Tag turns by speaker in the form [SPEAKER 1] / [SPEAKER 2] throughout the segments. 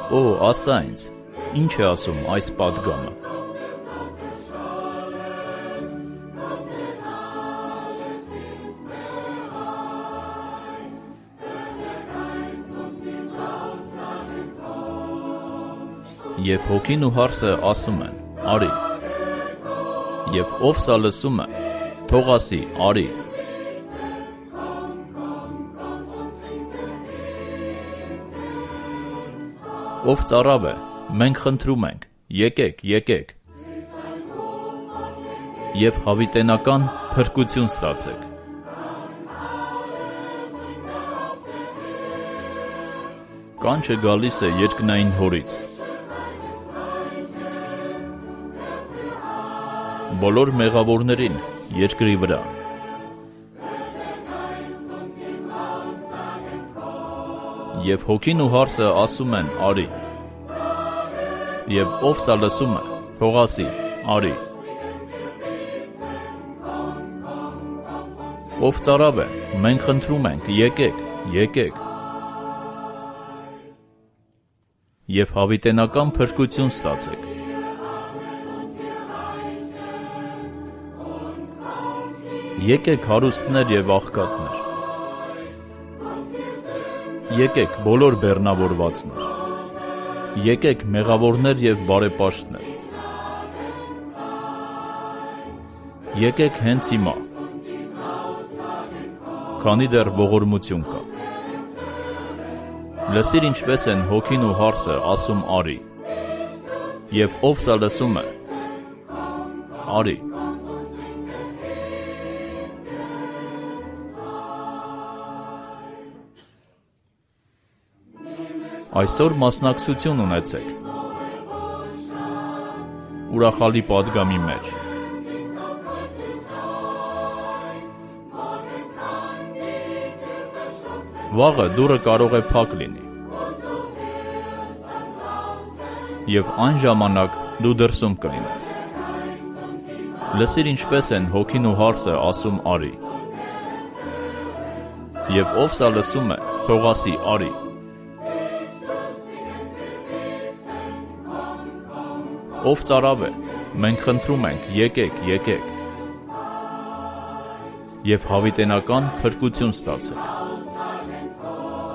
[SPEAKER 1] Օ, ասա ինձ, ինչ է ասում այս պատգամը։ Եվ հոգին ու հարսը ասում են, արի, և ով սա լսում է, թող ասի, արի։ Ով ծարավ է, մենք խնդրում ենք, եկեք, եկեք, և հավիտենական փրկություն ստացեք։ Կանչը գալիս է երկնային հորից։ Բոլոր մեղավորներին երկրի վրա։ Եվ հոգին ու հարսը ասում են, արի, և ով սա լսում է, թող ասի, արի։ Ով ծարավ է, մենք խնդրում ենք, եկեք, եկեք, և հավիտենական փրկություն ստացեք։ Եկեք հարուստներ և աղքատներ, եկեք բոլոր բեռնավորվածներ, եկեք մեղավորներ և բարեպաշտներ, եկեք հենց հիմա, քանի դեռ ողորմություն կա։ Լսիր ինչպես են հոգին ու հարսը ասում արի, և ով սա լսում է, արի։ Այսօր մասնակցություն ունեցեք ուրախալի պատգամի մեջ։ Վաղը դուռը կարող է փակ լինի, և այն ժամանակ դու դրսում կլինես։ Լսիր ինչպես են հոգին ու հարսը ասում արի, և ով սա լսում է, թող ասի արի։ Ով ծարավ է, մենք խնդրում ենք, եկեք, եկեք, և հավիտենական փրկություն ստացեք։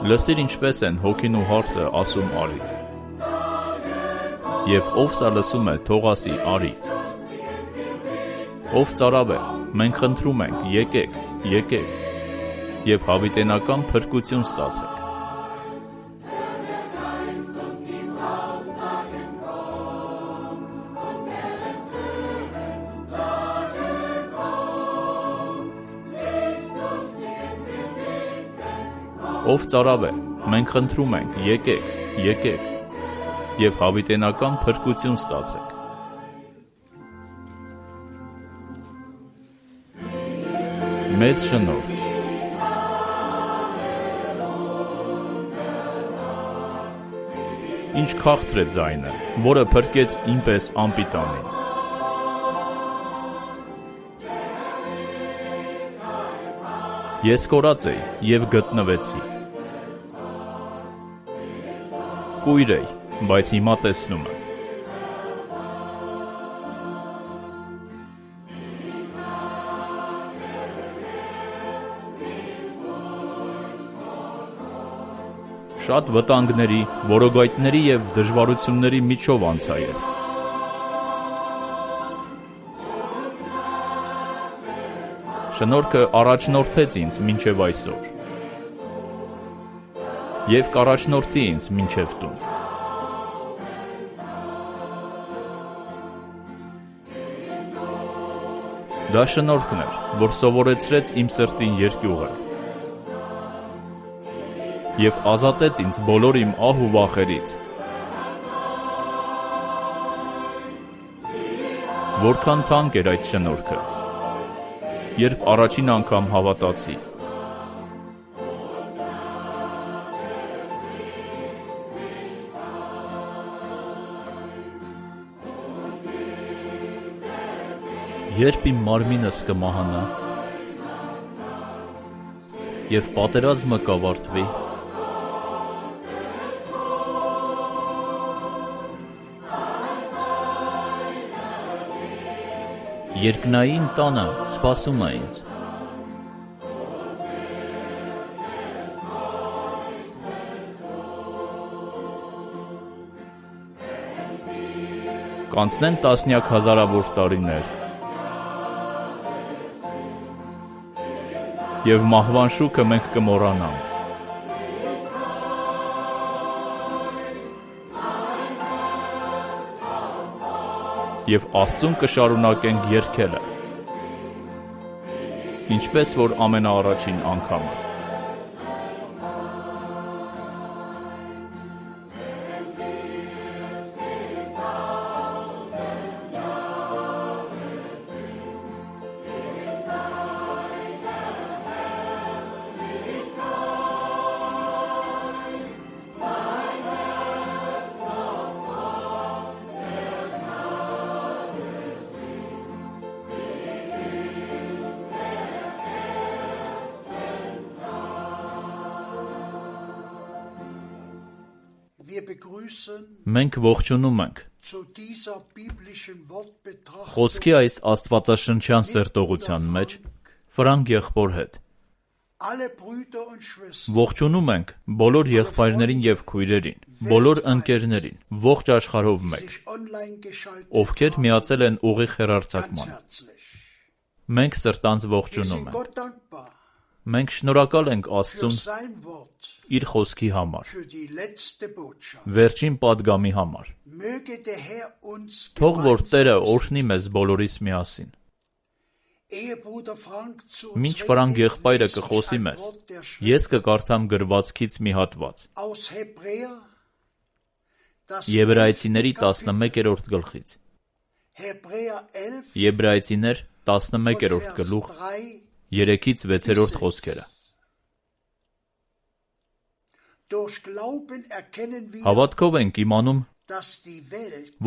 [SPEAKER 1] Լսիր ինչպես են հոգին ու հարսը ասում արի, և ով սա լսում է, թող ասի արի։ Ով ծարավ է, մենք խնդրում ենք, եկեք, եկեք, և հավիտենական փրկություն ստացեք։ Ով ծարավ է, մենք խնդրում ենք, եկեք, եկեք, և հավիտենական փրկություն ստացեք։ Մեծ շնորհ։ Ինչ քաղցր է ձայնը, որը փրկեց ինպես անպիտանին։ Ես կորած էի և գտնվեցի։ Կույր էի, բայց հիմա տեսնում եմ։ Շատ վտանգների, որոգայթների և դժվարությունների միջով անցա ես։ Շնորհքը առաջնորդեց ինձ մինչև այսօր և կառաջնորդի ինձ մինչև տուն։ Դա շնորհքն էր, որ սովորեցրեց իմ սրտին երկյուղը և ազատեց ինձ բոլոր իմ ահ ու վախերից։ Որքան թանկ էր այդ շնորհքը, երբ առաջին անգամ հավատացի։ Երբ իմ մարմինս կմահանա և պատերազմը կավարտվի, Երկնային տանը սպասում է ինձ։ Կանցնեն տասնյակ հազարավոր տարիներ, և մահվան շուքը մենք կմոռանանք։ Եվ Աստծուն կշարունակենք երգելը, ինչպես որ ամենաառաջին անգամը։ Մենք ողջունում ենք խոսքի այս աստվածաշնչյան սերտողության մեջ Ֆրանկ եղբոր հետ։ Ողջունում ենք բոլոր եղբայրներին և քույրերին, բոլոր ընկերներին, ողջ աշխարհով մեկ, ովքեր միացել են ուղիղ հեռարձակմանը։ Մենք սրտանց ողջունում ենք։ Մենք շնորհակալ ենք Աստծուն իր խոսքի համար, վերջին պատգամի համար։ Թող որ Տերը օրհնի մեզ բոլորիս միասին։ Մինչ Ֆրանկ եղբայրը կխոսի մեզ, ես կկարդամ գրվածքից մի հատված։ Եբրայեցիների 11-րդ գլխից։ Եբրայեցիներ 11-րդ գլուխ 3-ից 6-րդ խոսքերը։ Հավատքով ենք իմանում,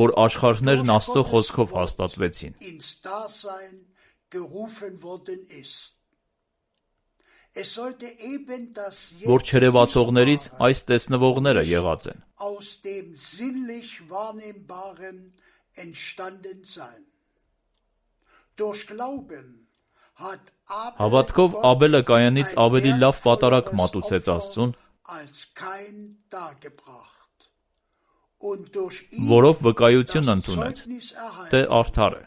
[SPEAKER 1] որ աշխարհներն Աստծո խոսքով հաստատվեցին, որ չերևացողներից այս տեսնվողները եղած են։ Հավատքով Աբելը Կայանից ավելի լավ պատարագ մատուցեց Աստծուն, որով վկայություն ընդունեց, թե արդար է։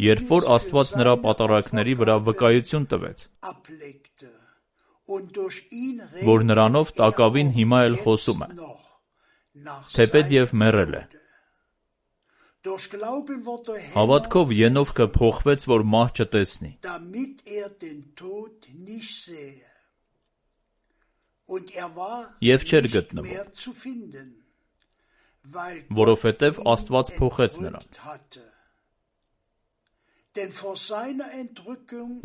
[SPEAKER 1] Երբ որ Աստված նրա պատարագների վրա վկայություն տվեց, որ նրանով տակավին հիմա էլ խոսում է, թեպետ և մեռել է։ Հավատքով Ենովքը փոխվեց, որ մահ չտեսնի, և չէր գտնվում, որովհետև Աստված փոխեց նրան,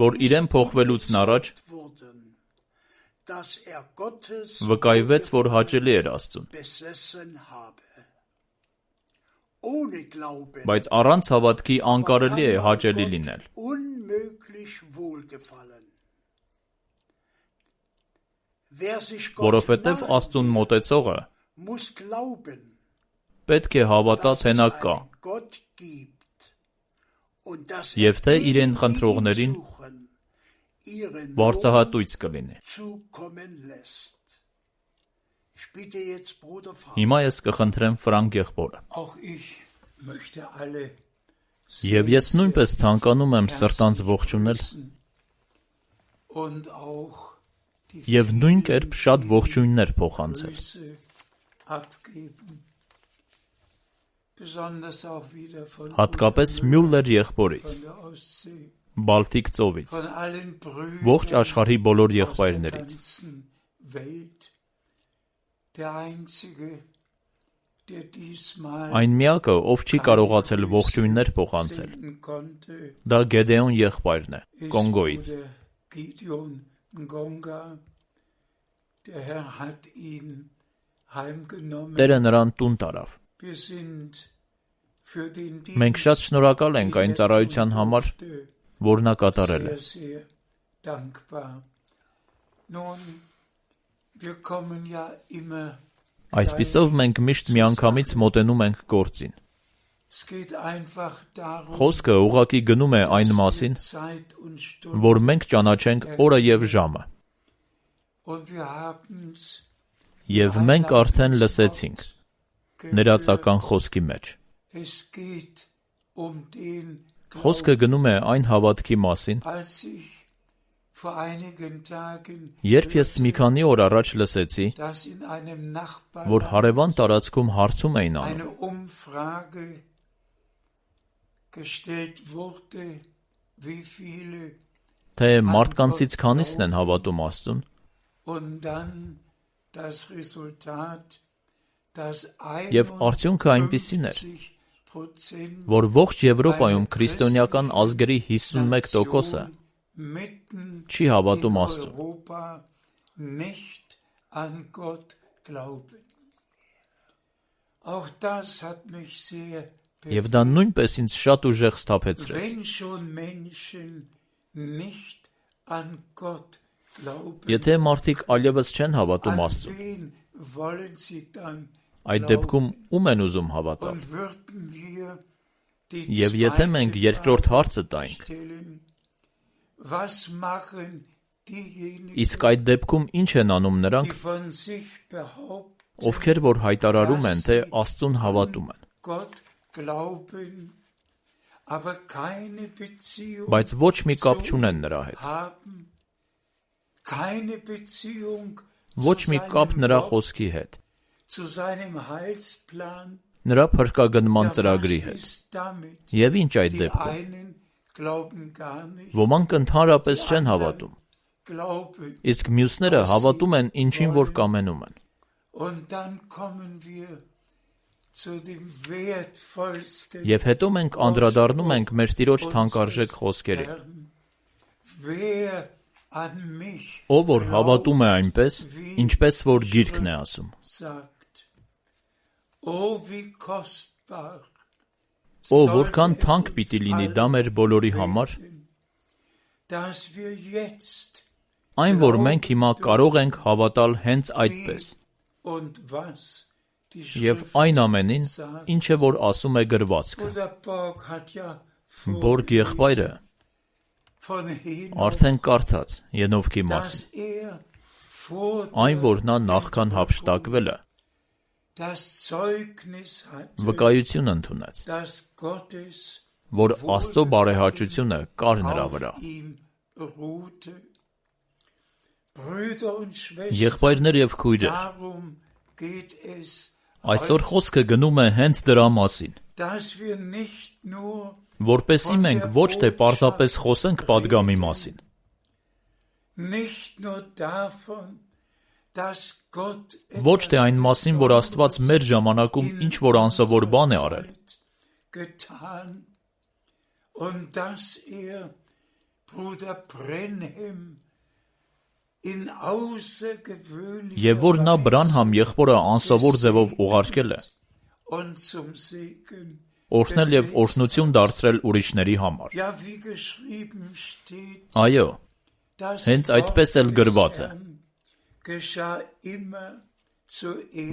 [SPEAKER 1] որ իրեն փոխվելուց առաջ վկայվեց, որ հաճելի էր Աստծուն։ Բայց առանց հավատքի անկարելի է հաճելի լինել։ Որովհետև Աստծուն մոտեցողը պետք է հավատա, թե նա կա, և թե իրեն խնդրողներին վարձահատույց կլինի։ Հիմա ես կխնդրեմ Ֆրանկ եղբորը։ Եվ ես նույնպես ցանկանում եմ սրտանց ողջունել և նույն կերպ շատ ողջույններ փոխանցել։ Հատկապես Մյուլլեր եղբորից, Բալթիկ ծովից, ողջ աշխարհի բոլոր եղբայրներից։ Այն միակը, ով չի կարողացել ողջույններ փոխանցել, դա Գեդեոն եղբայրն է, Կոնգոից։ Տերը նրան տուն տարավ։ Մենք շատ շնորհակալ ենք այն ծառայության համար, որ նա կատարել է։ Այսպիսով մենք միշտ միանգամից մոտենում ենք գործին։ Խոսքը ուղղակի գնում է այն մասին, որ մենք ճանաչենք օրը և ժամը։ Եվ մենք արդեն լսեցինք ներածական խոսքի մեջ։ Խոսքը գնում է այն հավատքի մասին, երբ ես մի քանի օր առաջ լսեցի, որ հարևան տարածքում հարցում էին անում, թե մարդկանցից քանիսն են հավատում Աստծուն, և արդյունքը այնպիսին էր, որ ողջ Եվրոպայում քրիստոնեական ազգերի 51%-ը չի հավատում Աստծուն։ Եվ դա նույնպես ինձ շատ ուժեղ սթափեցրեց։ Եթե մարդիկ այլևս չեն հավատում Աստծուն, այդ դեպքում ում են ուզում հավատալ։ Եվ եթե մենք երկրորդ հարցը տայինք, իսկ այդ դեպքում ինչ են անում նրանք, ովքեր որ հայտարարում են, թե Աստծուն հավատում են, բայց ոչ մի կապ չունեն նրա հետ, ոչ մի կապ նրա խոսքի հետ, նրա փրկագնման ծրագրի հետ։ Եվ ինչ այդ դեպքում։ Ոմանք ընդհանրապես չեն հավատում, իսկ մյուսները հավատում են ինչին որ կամենում են։ Եվ հետո մենք անդրադառնում ենք մեր Տիրոջ թանկարժեք խոսքերին։ Ով որ հավատում է այնպես, ինչպես որ Գիրքն է ասում։ Որքան թանկ պիտի լինի դա մեր բոլորի համար, այն որ մենք հիմա կարող ենք հավատալ հենց այդպես, և այն ամենին, ինչը որ ասում է գրվածքը։ Բորգ եղբայրը արդեն կարդաց Ենովքի մասին, այն որ նա նախքան հափշտակվելը վկայություն ընդունեց, որ Աստծո բարեհաճությունը կար նրա վրա։ Եղբայրներ և քույրեր, այսօր խոսքը գնում է հենց դրա մասին, որպեսզի մենք ոչ թե պարզապես խոսենք պատգամի մասին, ոչ թե այն մասին, որ Աստված մեր ժամանակում ինչ-որ անսովոր բան է արել, և որ նա Բրանհամ եղբորը անսովոր ձևով ուղարկել է, օրհնել և օրհնություն դարձրել ուրիշների համար։ Այո, հենց այդպես էլ գրված է,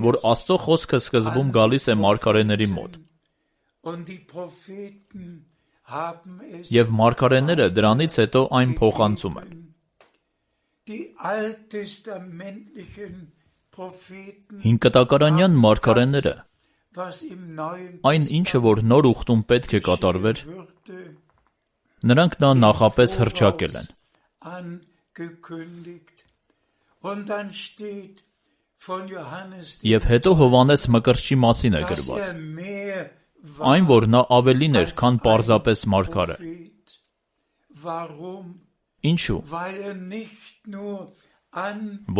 [SPEAKER 1] որ Աստծո խոսքը սկզբում գալիս է մարգարեների մոտ, և մարգարեները դրանից հետո այն փոխանցում են։ Հինկտակարանյան մարգարեները, այն ինչը որ նոր ուխտում պետք է կատարվեր, նրանք դա նախապես հռչակել են։ Եվ հետո Հովհաննես Մկրտչի մասին է գրված, այն որ նա ավելին էր, քան պարզապես մարգարե։ Ինչու՞։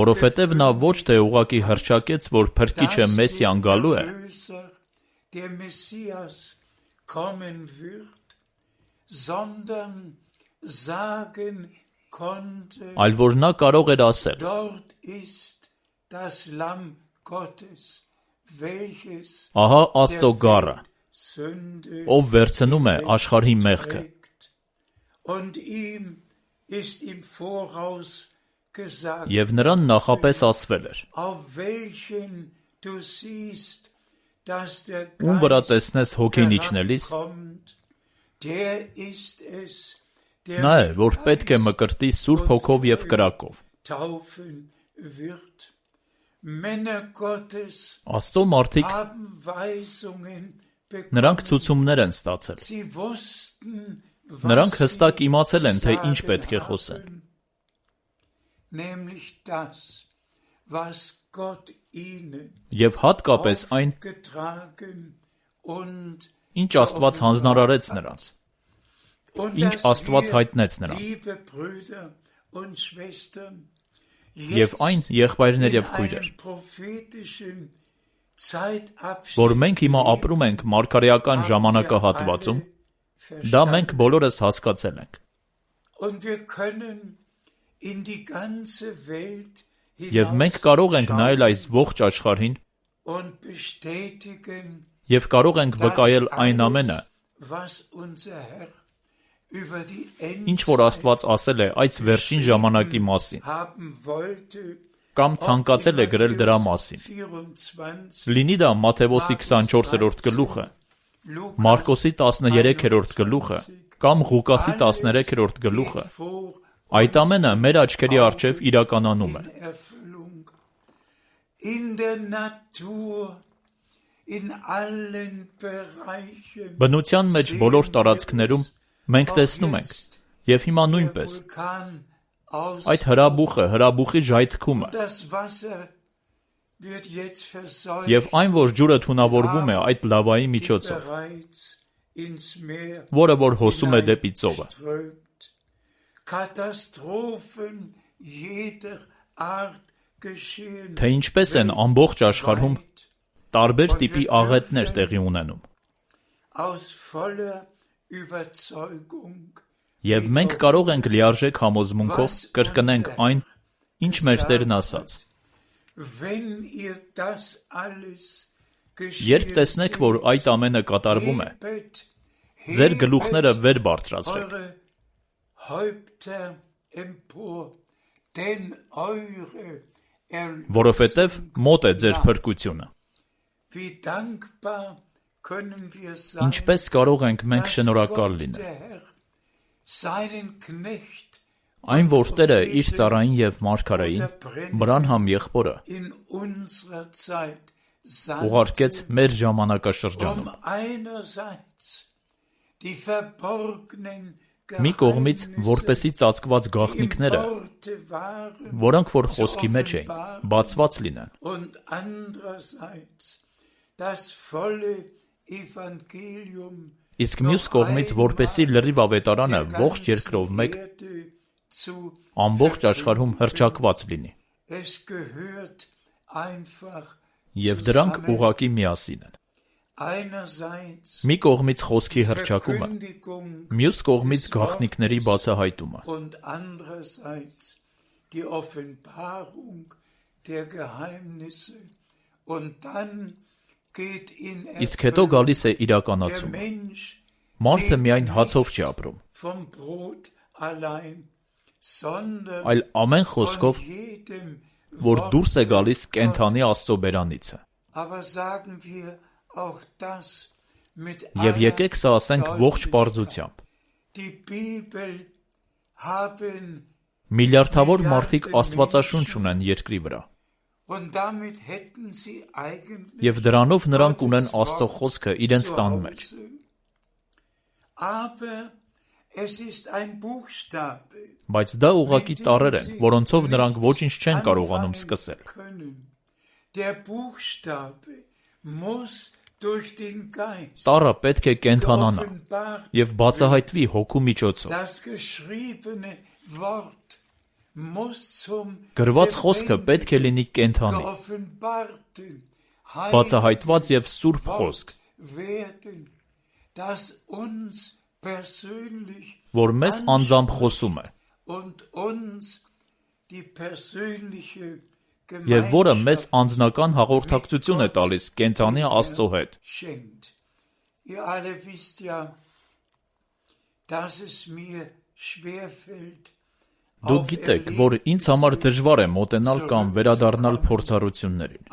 [SPEAKER 1] Որովհետև նա ոչ թե ուղղակի հռչակեց, որ Փրկիչը Մեսիան գալու է, այլ որ նա կարող էր ասել. Ահա Աստծո գառը, ով վերցնում է աշխարհի մեղքը։ Եվ նրան նախապես ասվել էր. Ում վրա տեսնես հոգին իջնելիս, նա է, որ պետք է մկրտի Սուրբ Հոգով և կրակով։ Աստծո մարդիկ, նրանք ցուցումներ են ստացել։ Նրանք հստակ իմացել են, թե ինչ պետք է խոսեն։ Եվ հատկապես այն, ինչ Աստված հանձնարարեց նրանց, ինչ Աստված հայտնեց նրանց, և այն, եղբայրներ և քույրեր, որ մենք հիմա ապրում ենք մարգարեական ժամանակահատվածում, դա մենք բոլորս հասկացել ենք։ Եվ մենք կարող ենք նայել այս ողջ աշխարհին և կարող ենք վկայել այն ամենը, ինչ որ Աստված ասել է այս վերջին ժամանակի մասին, կամ ցանկացել է գրել դրա մասին։ Լինի դա Մատթեոսի 24-րդ գլուխը, Մարկոսի 13-րդ գլուխը, կամ Ղուկասի 13-րդ գլուխը, այդ ամենը մեր աչքերի առջև իրականանում է։ Բնության մեջ բոլոր տարածքներում մենք տեսնում ենք, և հիմա նույնպես, այդ հրաբուխի ժայթքումը, և այն, որ ջուրը թունավորվում է այդ լավայի միջոցով, որը որ հոսում է դեպի ծովը։ Թե ինչպես են ամբողջ աշխարհում տարբեր տիպի աղետներ տեղի ունենում։ Եվ մենք կարող ենք լիարժեք համոզմունքով կրկնենք այն, ինչ մեր Տերն ասաց։ Երբ տեսնեք, որ այդ ամենը կատարվում է, ձեր գլուխները վեր բարձրացրեք։ Որովհետև մոտ է ձեր փրկությունը։ Ինչպես կարող ենք մենք շնորհակալ լինել։ Այն, որ Տերը իր ծառային և մարգարեին, Բրանհամ եղբորը, ուղարկեց մեր ժամանակաշրջանում։ Մի կողմից, որպեսզի ծածկված գաղտնիքները, որոնք որ խոսքի մեջ էին, բացված լինեն։ Իսկ մյուս կողմից, որպեսզի լրիվ ավետարանը ողջ երկրով մեկ ամբողջ աշխարհում հռչակված լինի։ Եվ դրանք ուղղակի միասին են։ Մի կողմից խոսքի հռչակումը, մյուս կողմից գաղտնիքների բացահայտումը։ Իսկ հետո գալիս է իրականացումը։ Մարդը միայն հացով չի ապրում, այլ ամեն խոսքով, որ դուրս է գալիս կենդանի Աստծո բերանիցը։ Եվ եկեք սա ասենք ողջ պարզությամբ։ Միլիարդավոր մարդիկ աստվածաշունչ ունեն երկրի վրա։ Եվ դրանով նրանք ունեն Աստծո խոսքը իրենց տան մեջ։ Բայց դա ուղղակի տառեր են, որոնցով նրանք ոչինչ չեն կարողանում սկսել։ Տառը պետք է կենդանանա և բացահայտվի հոգու միջոցով։ Գրված խոսքը պետք է լինի կենդանի, բացահայտված և սուրբ խոսք, որ մեզ անձամբ խոսում է, և որը մեզ անձնական հաղորդակցություն է տալիս կենդանի Աստծո հետ։ Դուք գիտեք, որ ինձ համար դժվար է մոտենալ կամ վերադառնալ փորձառություններին,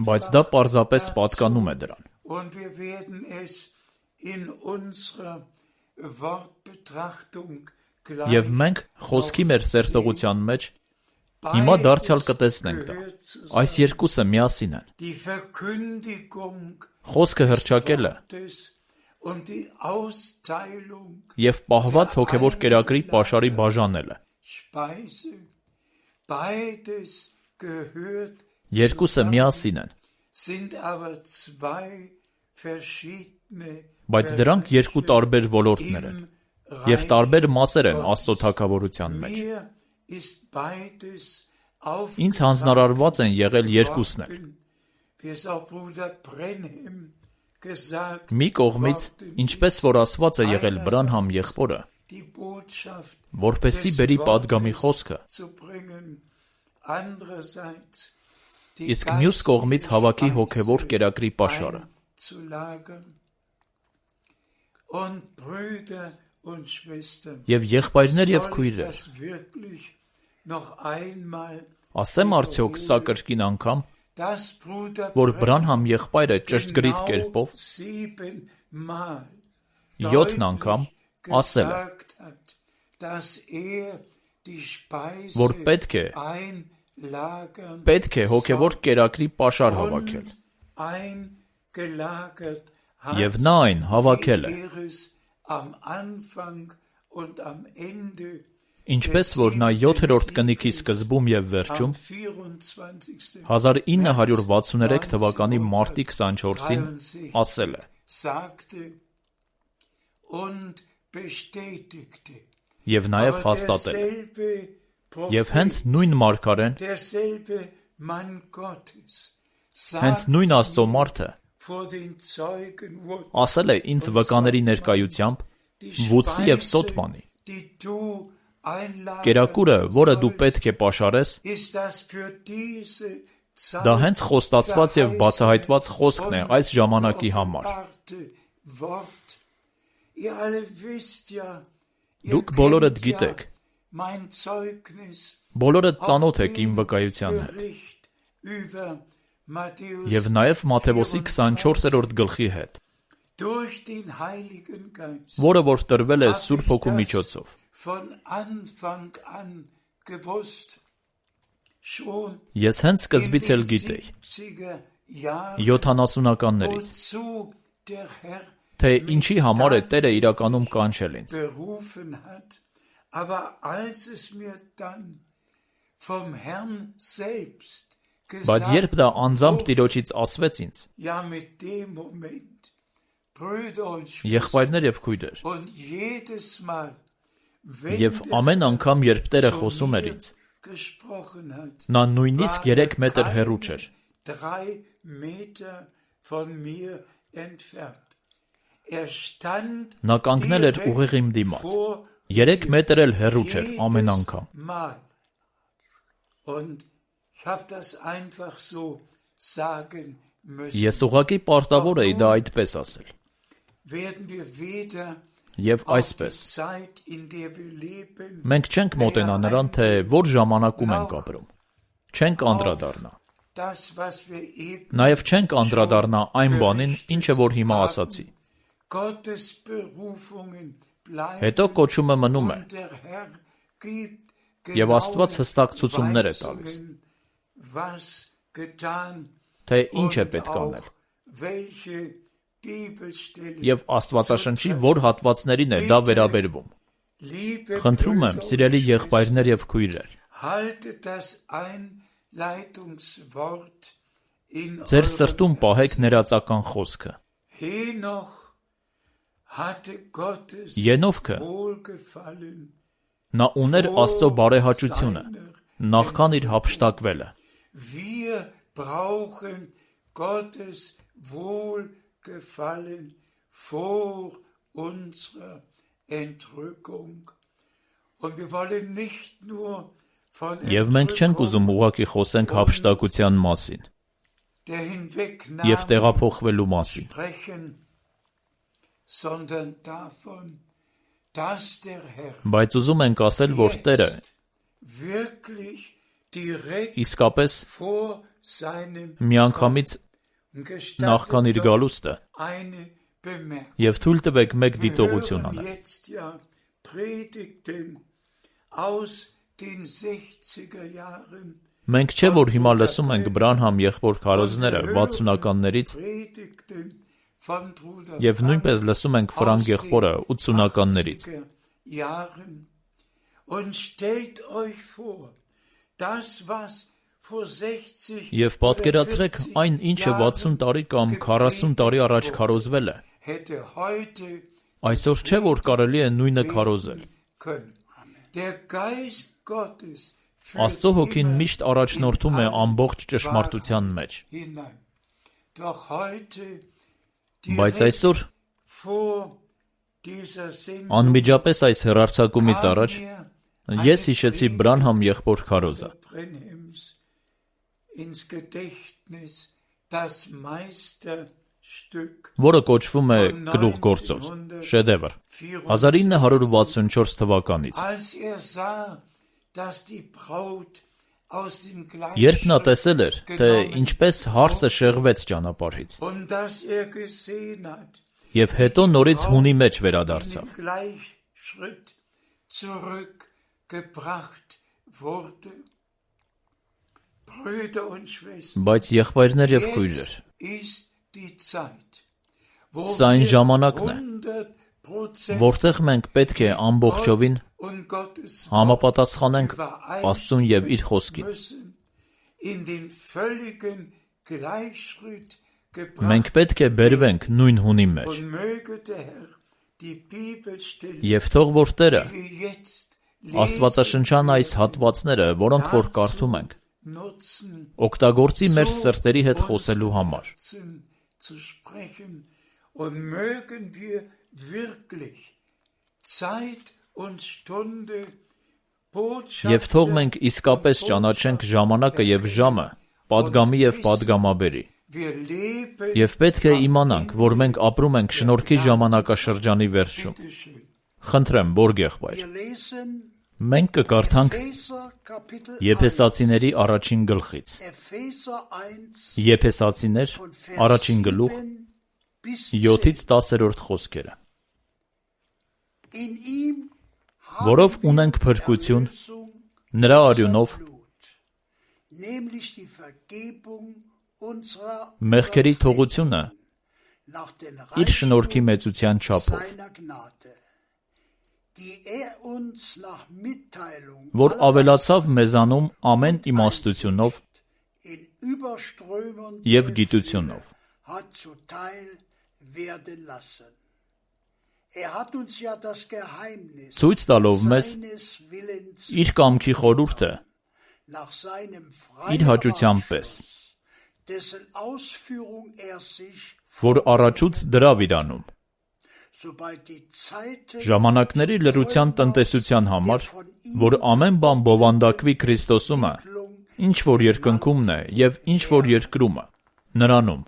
[SPEAKER 1] բայց դա պարզապես պատկանում է դրան։ Եվ մենք խոսքի մեր սերտողության մեջ հիմա դարձյալ կտեսնենք դա։ Այս երկուսը միասին են։ Խոսքը հռչակելը և պահված հոգևոր կերակրի պաշարի բաժանելը։ Երկուսը միասին են։ Բայց դրանք երկու տարբեր ոլորտներ են և տարբեր մասեր են Աստծո թագավորության մեջ։ Ինձ հանձնարարված են եղել երկուսն էլ։ Մի կողմից, ինչպես որ ասված է եղել Բրանհամ եղբորը, որպեսզի բերի պատգամի խոսքը, իսկ մյուս կողմից հավաքի հոգևոր կերակրի պաշարը։ Եվ եղբայրներ և քույրեր, ասեմ արդյոք սա կրկին անգամ, որ Բրանհամ եղբայրը ճշգրիտ կերպով 7 անգամ ասել է, որ պետք է հոգևոր կերակրի պաշար հավաքել, և նա այն հավաքել է, ինչպես որ նա 7-րդ կնիքի սկզբում և վերջում 1963 թվականի մարտի 24-ին ասել է. և նաև հաստատել է։ Եվ հենց նույն մարգարեն, հենց նույն Աստծո մարդը ասել է ինձ վկաների ներկայությամբ Վուծի և Սոթմանի. կերակուրը, որը դու պետք է պաշարես, դա հենց խոստացված և բացահայտված խոսքն է այս ժամանակի համար։ Դուք բոլորդ գիտեք, բոլորդ ծանոթ եք իմ վկայության հետ, և նաև Մատթեոսի 24-րդ գլխի հետ, որը որ տրվել է Սուրբ Հոգու միջոցով։ Ես հենց սկզբից էլ գիտեի, 70-ականներից, թե ինչի համար է Տերը իրականում կանչել ինձ։ Բայց երբ դա անձամբ Տիրոջից ասվեց ինձ, եղբայրներ և քույրեր, և ամեն անգամ, երբ Տերը խոսում էր ինձ, նա նույնիսկ 3 մետր հեռու չէր։ Նա կանգնել էր ուղիղ իմ դիմաց, 3 մետր էլ հեռու չէր ամեն անգամ։ Ես ուղղակի պարտավոր էի դա այդպես ասել։ Եվ այսպես, մենք չենք մոտենա նրան, թե որ ժամանակում ենք ապրում, չենք անդրադառնա։ Նաև չենք անդրադառնա այն բանին, ինչը որ հիմա ասացի։ Հետո կոչումը մնում է, և Աստված հստակ ցուցումներ է տալիս, թե ինչ է պետք անել, և Աստվածաշնչի որ հատվածներին է դա վերաբերվում։ Խնդրում եմ, սիրելի եղբայրներ և քույրեր, ձեր սրտում պահեք ներածական խոսքը։ Ենովքը նա ուներ Աստծո բարեհաճությունը, նախքան իր հափշտակվելը։ Եվ մենք չենք ուզում ուղղակի խոսենք հափշտակության մասին և տեղափոխվելու մասին, Բայց ուզում ենք ասել, որ Տերը իսկապես միանգամից նախքան իր գալուստը և թույլ տվեք մեկ դիտողություն անել։ Մենք չէ, որ հիմա լսում ենք Բրանհամ եղբոր քարոզները 60-ականներից և նույնպես լսում ենք Ֆրանկ եղբորը 80-ականներից։ Եվ պատկերացրեք այն, ինչը 60 տարի կամ 40 տարի առաջ քարոզվել է։ Այսօր չէ, որ կարելի է նույնը քարոզել։ Աստծո հոգին միշտ առաջնորդում է ամբողջ ճշմարտության մեջ։ Բայց այսօր անմիջապես այս հեռարձակումից առաջ ես հիշեցի Բրանհամ եղբոր քարոզը, որը կոչվում է գլուխգործոց, շեդևր, 1964 թվականից։ Երբ նա տեսել էր, թե ինչպես հարսը շեղվեց ճանապարհից, և հետո նորից հունի մեջ վերադարձավ։ Բայց եղբայրներ և քույրեր, սա այն ժամանակն է, որտեղ մենք պետք է ամբողջովին համապատասխանենք Աստծուն և իր խոսքին։ Մենք պետք է բերվենք նույն հունի մեջ։ Եվ թող որ Տերը աստվածաշնչյան այս հատվածները, որոնք որ կարդում ենք, օգտագործի մեր սրտերի հետ խոսելու համար։ Եվ թող մենք իսկապես ճանաչենք ժամանակը և ժամը, պատգամի և պատգամաբերի։ Եվ պետք է իմանանք, որ մենք ապրում ենք շնորհքի ժամանակաշրջանի վերջում։ Խնդրեմ, Բորգ եղբայր, մենք կկարդանք Եփեսացիների առաջին գլխից։ Եփեսացիներ, առաջին գլուխ, 7-ից 10-րդ խոսքերը։ Որով ունենք փրկություն, նրա արյունով, մեղքերի թողությունը իր շնորհքի մեծության չափով, որ ավելացավ մեզանում ամեն իմաստությունով և գիտությունով։ Ցույց տալով մեզ իր կամքի խորհուրդը իր հաճության պես, որ առաջուց դրավ իր անում, ժամանակների լրության տնտեսության համար, որ ամեն բան բովանդակվի Քրիստոսումը, ինչ որ երկնքումն է և ինչ որ երկրումը, նրանում։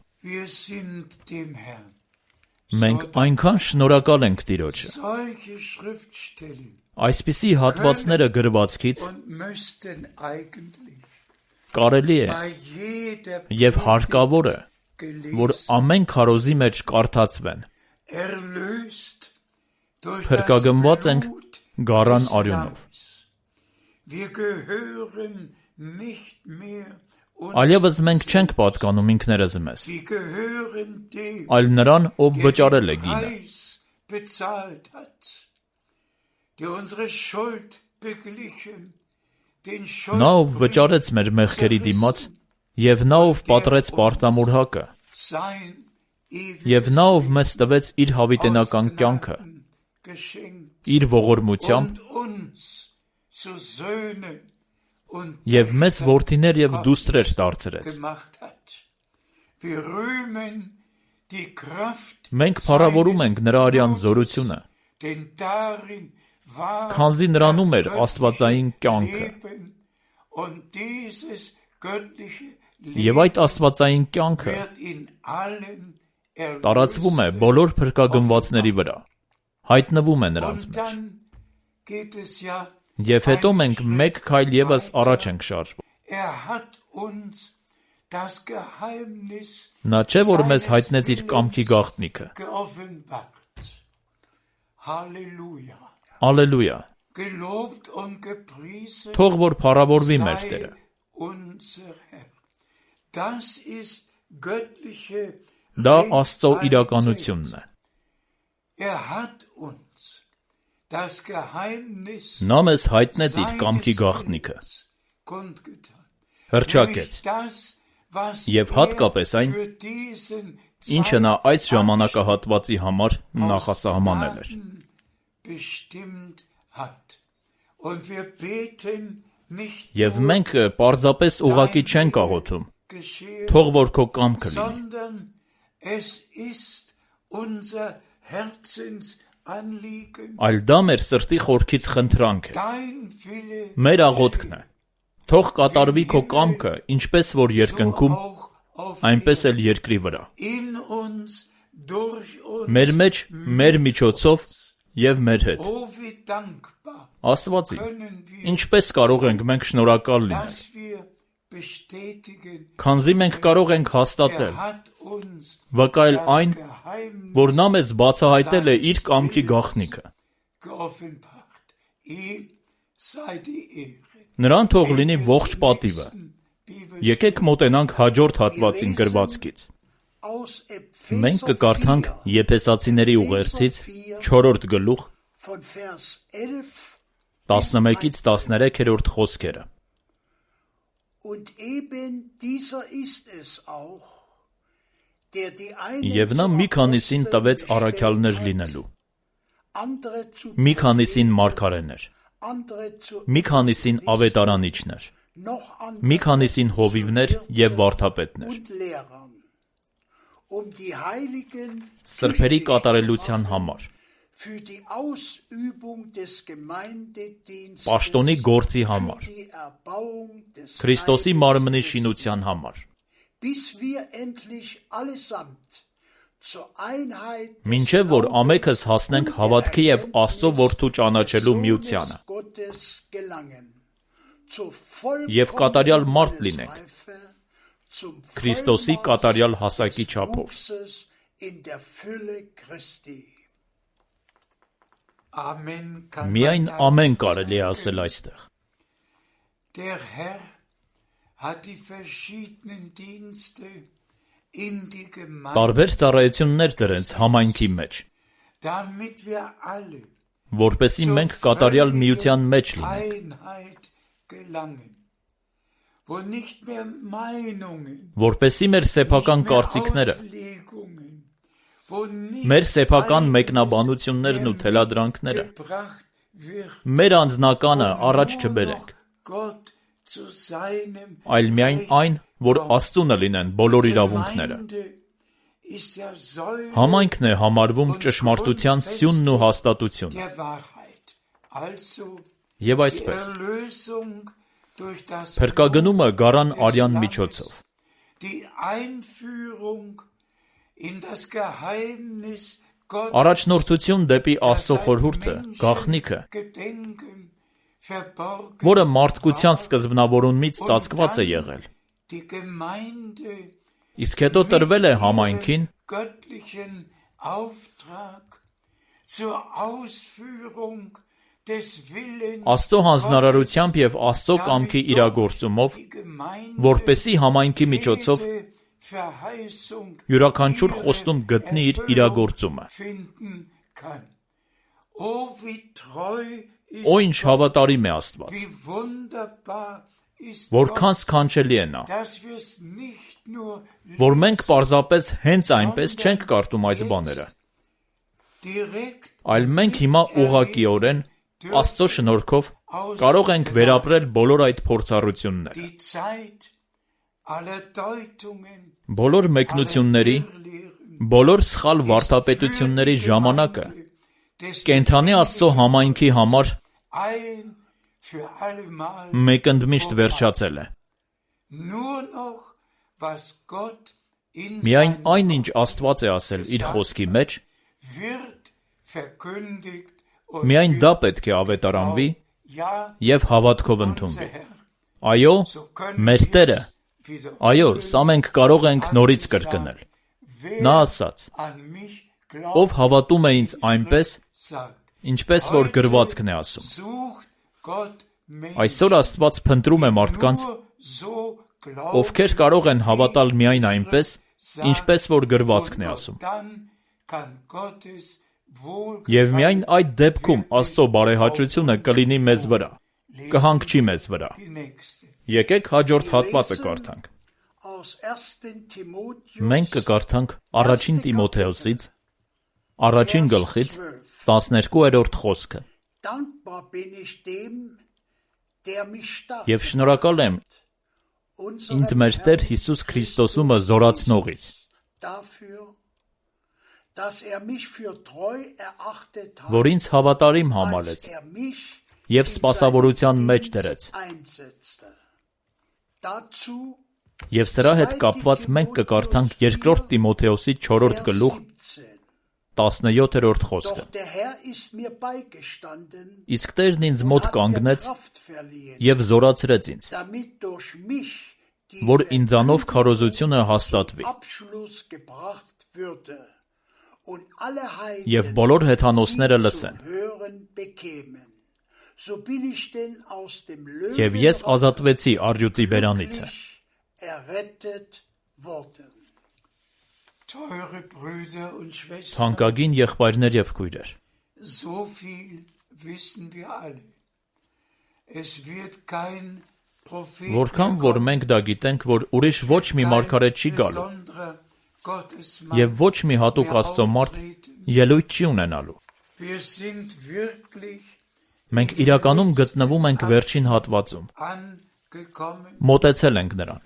[SPEAKER 1] Մենք այնքան շնորհակալ ենք Տիրոջը։ Այսպիսի հատվածները գրվածքից կարելի է և հարկավոր է, որ ամեն քարոզի մեջ կարդացվեն։ Փրկագնված ենք գառան արյունով։ Այլևս մենք չենք պատկանում ինքներս մեզ, այլ նրան, ով վճարել է գինը։ Նա, ով վճարեց մեր մեղքերի դիմաց, և նա, ով պատռեց պարտամուրհակը, և նա, ով մեզ տվեց իր հավիտենական կյանքը, իր ողորմությամբ, և մեզ որդիներ և դուստրեր դարձրեց։ Մենք փառավորում ենք նրա արյան զորությունը, քանզի նրանում էր աստվածային կյանքը։ Եվ այդ աստվածային կյանքը տարածվում է բոլոր փրկագնվածների վրա, հայտնվում է նրանց մեջ։ Եվ հետո մենք մեկ քայլ ևս առաջ ենք շարժվում։ Նա չէ, որ մեզ հայտնեց իր կամքի գաղտնիքը։ Ալելույա։ Թող որ փառավորվի մեր Տերը։ Դա Աստծո իրականությունն է։ Նա մեզ հայտնեց իր կամքի գաղտնիքը։ Հռչակեց։ Եվ հատկապես այն, ինչը նա այս ժամանակահատվածի համար նախասահմանել էր։ Եվ մենք պարզապես ուղղակի չենք աղոթում, թող որ քո կամքը լինի։ Այլ դա մեր սրտի խորքից խնդրանք է։ Մեր աղոթքն է։ Թող կատարվի քո կամքը, ինչպես որ երկնքում, այնպես էլ երկրի վրա։ Մեր մեջ, մեր միջոցով և մեր հետ։ Աստվածի, ինչպես կարող ենք մենք շնորհակալ լինել։ Քանզի մենք կարող ենք հաստատել, վկայել այն, որ նա մեզ բացահայտել է իր կամքի գաղտնիքը։ Նրան թող լինի ողջ պատիվը։ Եկեք մոտենանք հաջորդ հատվածին գրվածքից։ Մենք կկարդանք Եփեսացիների ուղերձից 4-րդ գլուխ 11-ից 13-րդ խոսքերը։ Եվ նա մի քանիսին տվեց առաքյալներ լինելու, մի քանիսին մարգարեներ, մի քանիսին ավետարանիչներ, մի քանիսին հովիվներ և վարդապետներ, սրբերի կատարելության համար, պաշտոնի գործի համար, Քրիստոսի մարմնի շինության համար, մինչև որ ամենքս հասնենք հավատքի և Աստծո որդու ճանաչելու միությանը և կատարյալ մարդ լինենք, Քրիստոսի կատարյալ հասակի չափով։ Միայն ամեն կարելի է ասել այստեղ։ Տարբեր ծառայություններ դրեց համայնքի մեջ, որպեսզի մենք կատարյալ միության մեջ լինենք, որպեսզի մեր սեփական կարծիքները, մեր սեփական մեկնաբանություններն ու թելադրանքները, մեր անձնականը առաջ չբերենք, այլ միայն այն, որ Աստծունը լինեն բոլոր իրավունքները։ Համայնքն է համարվում ճշմարտության սյունն ու հաստատությունը։ Եվ այսպես, փրկագնումը գարան արյան միջոցով, առաջնորդություն դեպի Աստծո խորհուրդը, գաղտնիքը, որը մարդկության սկզբնավորումից ծածկված է եղել, իսկ հետո տրվել է համայնքին Աստծո հանձնարարությամբ և Աստծո կամքի իրագործումով, որպեսզի համայնքի միջոցով յուրաքանչյուր խոստում գտնի իր իրագործումը։ Օ ինչ հավատարիմ է Աստված, որքան սքանչելի է նա, որ մենք պարզապես հենց այնպես չենք կարդում այս բաները, այլ մենք հիմա ուղղակիորեն Աստծո շնորհքով կարող ենք վերապրել բոլոր այդ փորձառությունները։ Բոլոր մեկնությունների, բոլոր սխալ վարդապետությունների ժամանակը կենդանի Աստծո համայնքի համար մեկընդմիշտ վերջացել է։ Միայն այն, ինչ Աստված է ասել իր խոսքի մեջ, Միայն դա պետք է ավետարանվի և հավատքով ընդունվի։ Այո, մեր Տերը, այո, սա մենք կարող ենք նորից կրկնել։ Նա ասաց. «Ով հավատում է ինձ այնպես, ինչպես որ գրվածքն է ասում»։ Այսօր Աստված փնտրում է մարդկանց, ովքեր կարող են հավատալ միայն այնպես, ինչպես որ գրվածքն է ասում։ Եվ միայն այդ դեպքում Աստծո բարեհաճությունը կլինի մեզ վրա, կհանգչի մեզ վրա։ Եկեք հաջորդ հատվածը կարդանք։ Մենք կկարդանք առաջին Տիմոթեոսից, առաջին գլխից 12-րդ խոսքը։ Եվ շնորհակալ եմ ինձ մեր Տեր Հիսուս Քրիստոսումը զորացնողից, որ ինձ հավատարիմ համարեց և սպասավորության մեջ դրեց։ Եվ սրա հետ կապված մենք կկարդանք երկրորդ Տիմոթեոսի 4 գլուխ 17-րդ խոսքը։ Իսկ Տերն ինձ մոտ կանգնեց և զորացրեց ինձ, որ ինձանով քարոզությունը հաստատվի։ Եվ բոլոր հեթանոսները լսեն։ Եվ ես ազատվեցի առյուծի բերանիցը։ Թանկագին եղբայրներ և քույրեր, որքան որ մենք դա գիտենք, որ ուրիշ ոչ մի մարգարետ չի գալու և ոչ մի հատուկ Աստծո մարդ ելույթ չի ունենալու։ Մենք իրականում գտնվում ենք վերջին հատվածում, մոտեցել ենք նրան։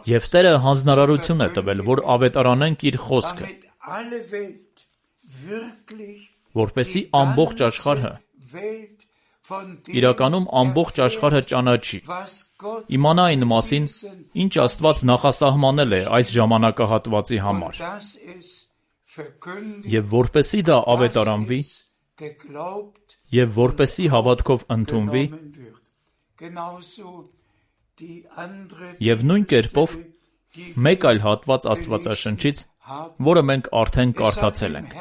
[SPEAKER 1] Եվ Տերը հանձնարարություն է տվել, որ ավետարանենք իր խոսքը, որպեսզի ամբողջ աշխարհը, իրականում ամբողջ աշխարհը ճանաչի, իմանա այն մասին, ինչ Աստված նախասահմանել է այս ժամանակահատվածի համար, և որպեսզի դա ավետարանվի, և որպեսզի հավատքով ընդունվի, և նույն կերպով մեկ այլ հատված Աստվածաշնչից, որը մենք արդեն կարդացել ենք։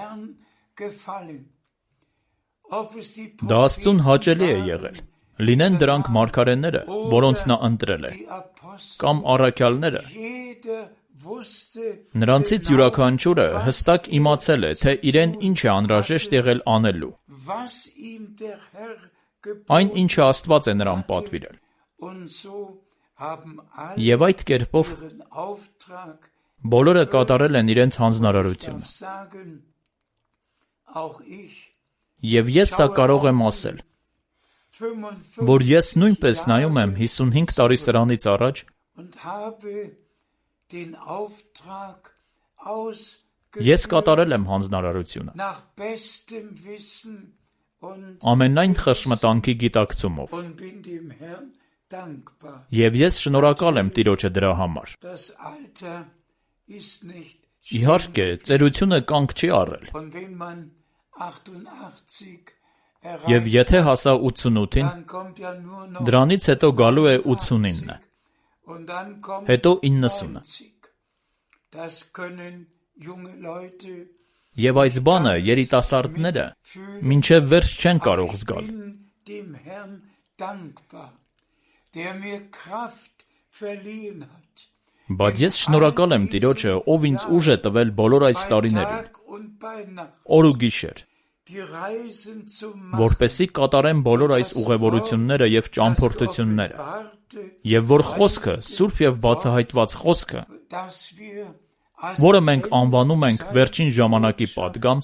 [SPEAKER 1] Դա Աստծուն հաճելի է եղել, լինեն դրանք մարգարեները, որոնց նա ընտրել է, կամ առաքյալները։ Նրանցից յուրաքանչյուրը հստակ իմացել է, թե իրեն ինչ է անհրաժեշտ եղել անելու, այն ինչը Աստված է նրան պատվիրել։ Եվ այդ կերպով բոլորը կատարել են իրենց հանձնարարությունը։ Եվ ես սա կարող եմ ասել, որ ես նույնպես նայում եմ 55 տարի սրանից առաջ ես կատարել եմ հանձնարարությունը ամենայն խշմտանքի գիտակցումով, և ես շնորհակալ եմ Տիրոջը դրա համար։ Իհարկե, ծերությունը կանգ չի առել, և եթե հասա 88-ին, դրանից հետո գալու է 89, հետո 90-ը։ Եվ այս բանը երիտասարդները մինչև վերջ չեն կարող զգալ։ Բայց ես շնորհակալ եմ Տիրոջը, ով ինձ ուժ է տվել բոլոր այս տարիներին, օր ու գիշեր, որպեսզի կատարեմ բոլոր այս ուղևորությունները և ճամփորդությունները, և որ խոսքը, սուրբ և բացահայտված խոսքը, որը մենք անվանում ենք վերջին ժամանակի պատգամ,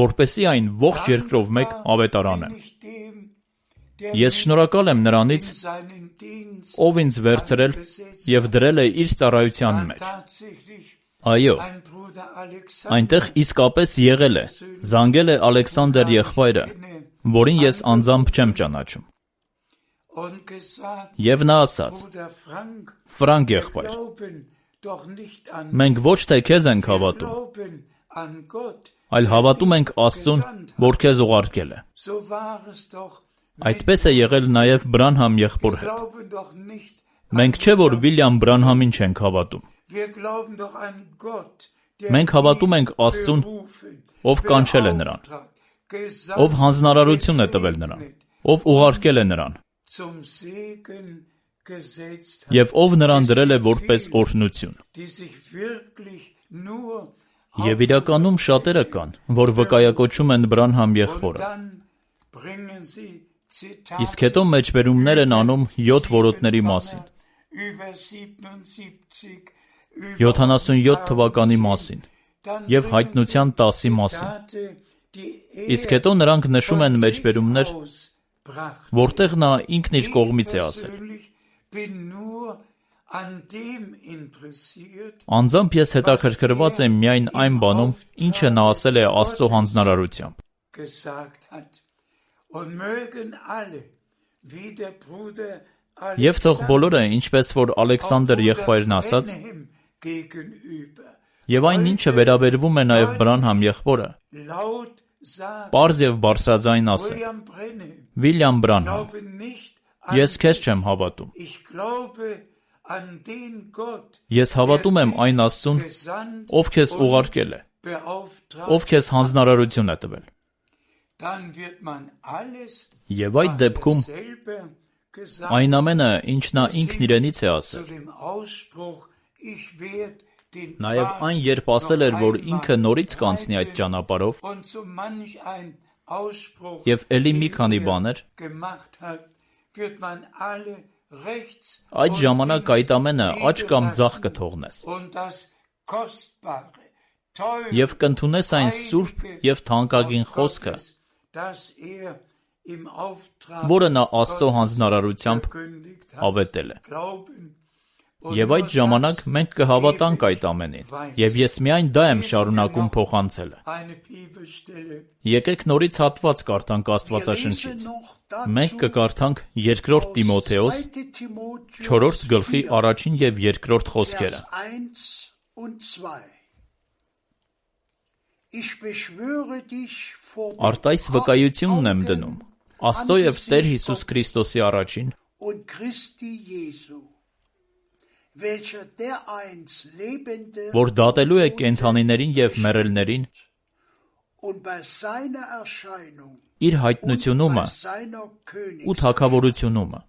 [SPEAKER 1] որպեսզի այն ողջ երկրով մեկ ավետարանեմ։ Ես շնորհակալ եմ նրանից, ով ինձ վերցրել և դրել է իր ծառայության մեջ։ Այո, այնտեղ իսկապես եղել է, զանգել է Ալեքսանդր եղբայրը, որին ես անձամբ չեմ ճանաչում։ Եվ նա ասաց. Ֆրանկ եղբայր, մենք ոչ թե քեզ ենք հավատում, այլ հավատում ենք Աստծուն, որ քեզ ուղարկել է։ Այդպես է եղել նաև Բրանհամ եղբոր հետ։ Մենք չէ, որ Վիլյամ Բրանհամին չենք հավատում։ Մենք հավատում ենք Աստծուն, ով կանչել է նրան, ով հանձնարարություն է տվել նրան, ով ուղարկել է նրան, և ով նրան դրել է որպես օրհնություն։ Եվ իրականում շատերը կան, որ վկայակոչում են Բրանհամ եղբորը։ Իսկ հետո մեջբերումներ են անում 7 որոտների մասին, 77 թվականի մասին և Հայտնության 10-ի մասին։ Իսկ հետո նրանք նշում են մեջբերումներ, որտեղ նա ինքն իր կողմից է ասել։ Անձամբ ես հետաքրքրված եմ միայն այն բանում, ինչը նա ասել է Աստծո հանձնարարությամբ։ Եվ թող բոլորը, ինչպես որ Ալեքսանդր եղբայրն ասաց, և այն ինչը վերաբերվում է նաև Բրանհամ եղբորը, պարզ և բարձրաձայն ասել. Վիլյամ Բրանհամ, ես քեզ չեմ հավատում։ Ես հավատում եմ այն Աստծուն, ով քեզ ուղարկել է, ով քեզ հանձնարարություն է տվել։ Եվ այդ դեպքում այն ամենը, ինչ նա ինքն իրենից է ասել, նաև այն, երբ ասել էր, որ ինքը նորից կանցնի այդ ճանապարհով, և էլի մի քանի բաներ, այդ ժամանակ այդ ամենը աջ կամ ձախ կթողնես և կընդունես այն սուրբ և թանկագին խոսքը, որը նա Աստծո հանձնարարությամբ ավետել է։ Եվ այդ ժամանակ մենք կհավատանք այդ ամենին, և ես միայն դա եմ շարունակում փոխանցելը։ Եկեք նորից հատված կարդանք Աստվածաշնչից։ Մենք կկարդանք 2 Տիմոթեոս 4 գլխի 1 և 2 խոսքերը։ Արտայս վկայությունն եմ դնում Աստծո և Տեր Հիսուս Քրիստոսի առաջին, որ դատելու է կենդանիներին և մեռելներին իր հայտնությունումը ու թագավորությունումը։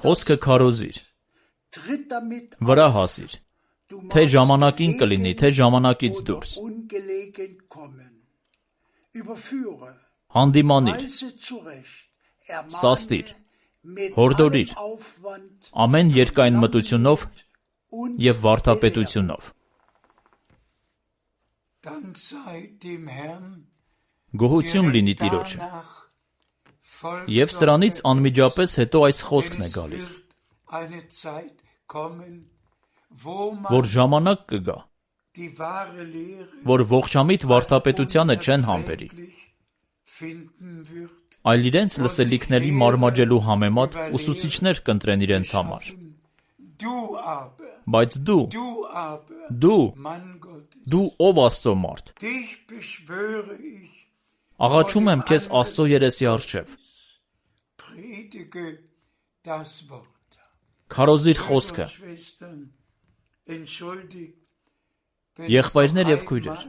[SPEAKER 1] Խոսքը քարոզիր, վրա հասիր, թե ժամանակին կլինի, թե ժամանակից դուրս։ Հանդիմանիր, սաստիր, հորդորիր, ամեն երկայն մտությունով և վարդապետությունով։ Գոհություն լինի Տիրոջը։ Եվ սրանից անմիջապես հետո այս խոսքն է գալիս, որ ժամանակ կգա, որ ողջամիտ վարդապետությանը չեն համբերի, այլ իրենց լսելիքների մարմաջելու համեմատ ուսուցիչներ կընտրեն իրենց համար։ Բայց դու ով Աստծո մարդ, աղաչում եմ քեզ Աստծո երեսի առջև, քարոզիր խոսքը։ Եղբայրներ և քույրեր,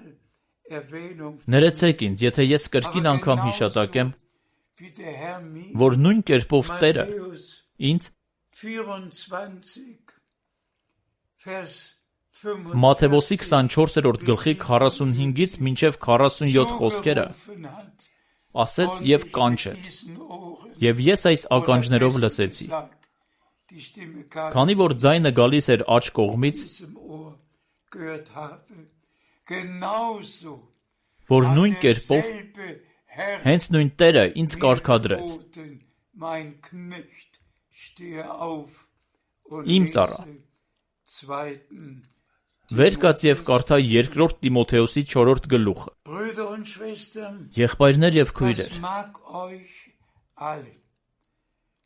[SPEAKER 1] ներեցեք ինձ, եթե ես կրկին անգամ հիշատակեմ, որ նույն կերպով Տերը ինձ Մատթեոս 24 գլխի 45-ից մինչև 47 խոսքերը ասեց և կանչեց, և ես այս ականջներով լսեցի, քանի որ ձայնը գալիս էր աջ կողմից, որ նույն կերպով հենց նույն Տերը ինձ կարգադրեց. Իմ ծառա, վեր կաց և կարդա 2 Տիմոթեոսի 4 գլուխը։ Եղբայրներ և քույրեր,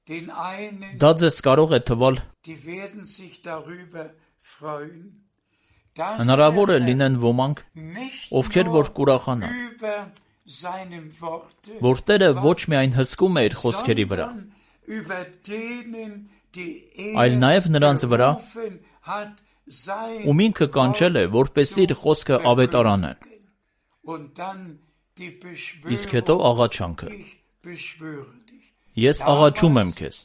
[SPEAKER 1] Դա ձեզ կարող է թվալ հնարավոր է լինեն ոմանք, ովքեր որ կուրախանան, որ Տերը ոչ միայն հսկում է իր խոսքերի վրա, այլ նաև նրանց վրա, ում ինքը կանչել է, որպեսզի իր խոսքը ավետարանեն։ Իսկ հետո աղաչանքը. Ես աղաչում եմ քեզ։